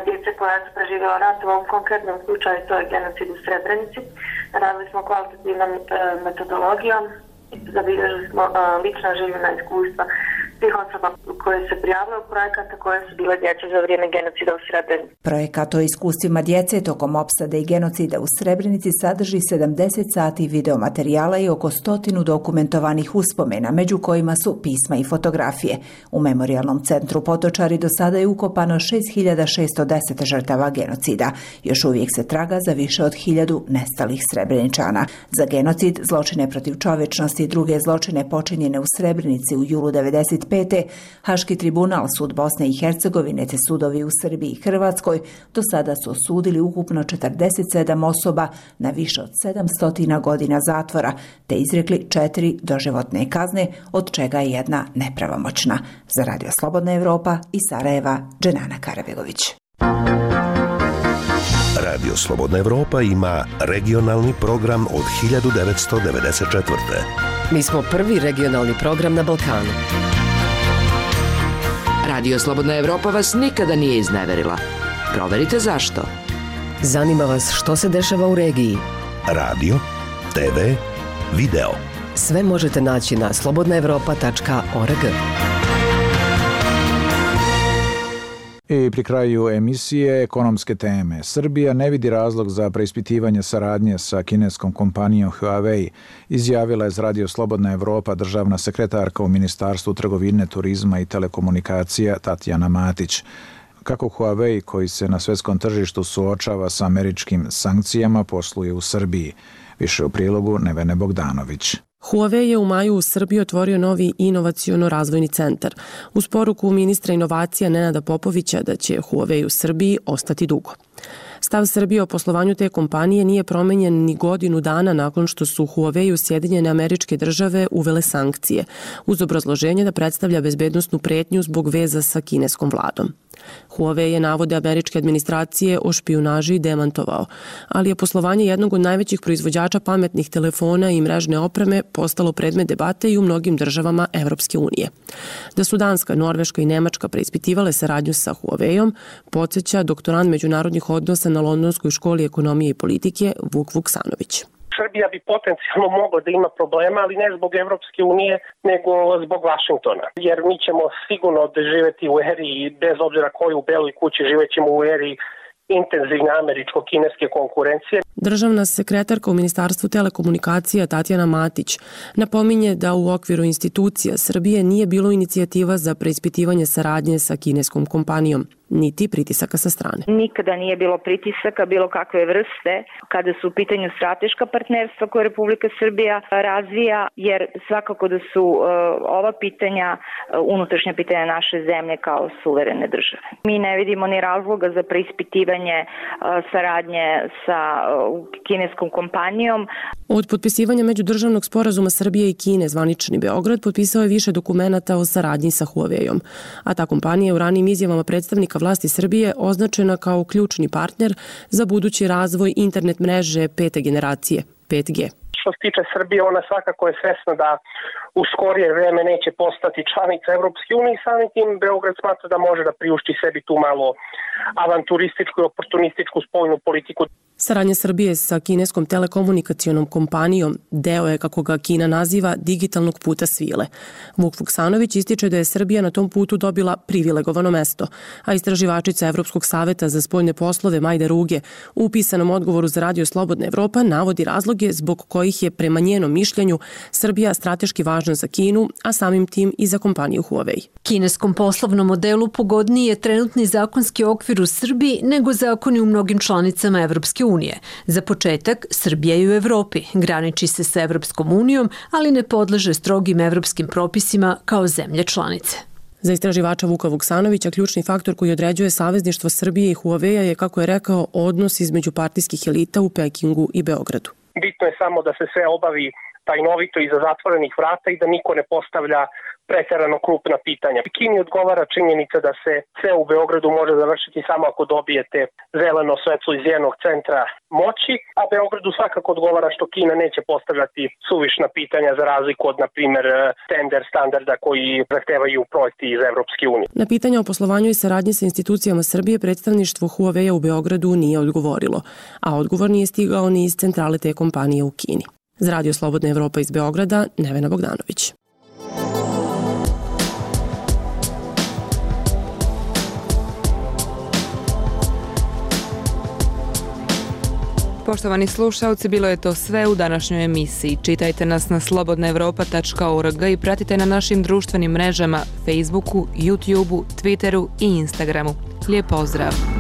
djece koja su preživjela rat. U ovom konkretnom slučaju to je genocid u Srebrenici. Radili smo kvalitativnom metodologijom, zabilježili smo lična življena iskustva svih osoba koje se prijavile u projekata koje su bile djece za vrijeme genocida u Srebrenici. Projekat o iskustvima djece tokom opsade i genocida u Srebrenici sadrži 70 sati videomaterijala i oko 100 dokumentovanih uspomena, među kojima su pisma i fotografije. U Memorijalnom centru Potočari do sada je ukopano 6610 žrtava genocida. Još uvijek se traga za više od 1000 nestalih Srebreničana. Za genocid, zločine protiv čovječnosti i druge zločine počinjene u Srebrenici u julu 1995. Haški tribunal, sud Bosne i Hercegovine te sudovi u Srbiji i Hrvatskoj do sada su osudili ukupno 47 osoba na više od 700 godina zatvora te izrekli 4 doživotne kazne, od čega je 1 nepravomoćna. Za Radio Slobodna Evropa iz Sarajeva, Dženana Karabegović. Radio Slobodna Evropa ima regionalni program od 1994. Mi smo prvi regionalni program na Balkanu. Radio Slobodna Evropa vas nikada nije izneverila. Proverite zašto. Zanima vas što se dešava u regiji. Radio, TV, video. Sve možete naći na slobodnaevropa.org. I pri kraju emisije ekonomske teme. Srbija ne vidi razlog za preispitivanje saradnje sa kineskom kompanijom Huawei, izjavila je za Radio Slobodna Evropa državna sekretarka u Ministarstvu trgovine, turizma i telekomunikacija Tatjana Matić. Kako Huawei, koji se na svjetskom tržištu suočava sa američkim sankcijama, posluje u Srbiji. Više u prilogu Nevene Bogdanović. Huawei je u maju u Srbiji otvorio novi inovaciono-razvojni centar. Uz poruku ministra inovacija Nenada Popovića da će Huawei u Srbiji ostati dugo. Stav Srbije o poslovanju te kompanije nije promenjen ni godinu dana nakon što su Huawei u Sjedinjene Američke Države uvele sankcije, uz obrazloženje da predstavlja bezbednosnu pretnju zbog veza sa kineskom vladom. Huawei je navode američke administracije o špijunaži demantovao, ali je poslovanje jednog od najvećih proizvođača pametnih telefona i mrežne opreme postalo predmet debate i u mnogim državama Evropske unije. Da su Danska, Norveška i Nemačka preispitivale saradnju sa Huaweiom, podsjeća doktorant međunarodnih odnosa na Londonskoj školi ekonomije i politike Vuk Vuksanović. Srbija bi potencijalno mogla da ima problema, ali ne zbog Evropske unije, nego zbog Vašingtona. Jer mi ćemo sigurno živjeti u eri, bez obzira koju u Beloj kući, živećemo u eri intenzivne američko-kineske konkurencije. Državna sekretarka u Ministarstvu telekomunikacija Tatjana Matić napominje da u okviru institucija Srbije nije bilo inicijativa za preispitivanje saradnje sa kineskom kompanijom, niti pritisaka sa strane. Nikada nije bilo pritisaka bilo kakve vrste kada su u pitanju strateška partnerstva koje Republika Srbija razvija, jer svakako da su ova pitanja unutrašnja pitanja naše zemlje kao suverene države. Mi ne vidimo ni razloga za preispitivanje saradnje sa kineskom kompanijom. Od potpisivanja međudržavnog sporazuma Srbije i Kine, zvanični Beograd potpisao je više dokumenata o saradnji sa Huaweiom, a ta kompanija je u ranijim izjavama predstavnika vlasti Srbije označena kao ključni partner za budući razvoj internet mreže 5. generacije, 5G. Što se tiče Srbije, ona svakako je svesna da u skorije vreme neće postati članica Evropske unije i samim tim Beograd smatra da može da priušti sebi tu malo avanturističku i oportunističku spoljnu politiku. Saradnja Srbije sa kineskom telekomunikacionom kompanijom deo je, kako ga Kina naziva, digitalnog puta svile. Vuk Vuksanović ističe da je Srbija na tom putu dobila privilegovano mesto, a istraživačica Evropskog saveta za spoljne poslove Majda Ruge u pisanom odgovoru za Radio Slobodna Evropa navodi razloge zbog kojih je prema njenom mišljenju Srbija strateški važna za Kinu, a samim tim i za kompaniju Huawei. Kineskom poslovnom modelu pogodniji je trenutni zakonski okvir u Srbiji nego zakoni u mnogim članicama Evropske unije. Za početak, Srbija je u Evropi, graniči se sa Evropskom unijom, ali ne podleže strogim evropskim propisima kao zemlje članice. Za istraživača Vuka Vuksanovića ključni faktor koji određuje savezništvo Srbije i Huawei je, kako je rekao, odnos između partijskih elita u Pekingu i Beogradu. Bitno je samo da se sve obavi tajnovito iza zatvorenih vrata i da niko ne postavlja preterano krupna pitanja. Kini odgovara činjenica da se sve u Beogradu može završiti samo ako dobijete zeleno svetlo iz jednog centra moći, a Beogradu svakako odgovara što Kina neće postavljati suvišna pitanja za razliku od, na primjer, tender standarda koji zahtevaju projekti iz Evropske unije. Na pitanja o poslovanju i saradnji sa institucijama Srbije predstavništvo Huawei u Beogradu nije odgovorilo, a odgovor nije stigao ni iz centrale te kompanije u Kini. Za Radio Slobodna Evropa iz Beograda, Nevena Bogdanović. Poštovani slušalci, bilo je to sve u današnjoj emisiji. Čitajte nas na slobodnaevropa.org i pratite na našim društvenim mrežama Facebooku, YouTubeu, Twitteru i Instagramu. Lijep pozdrav!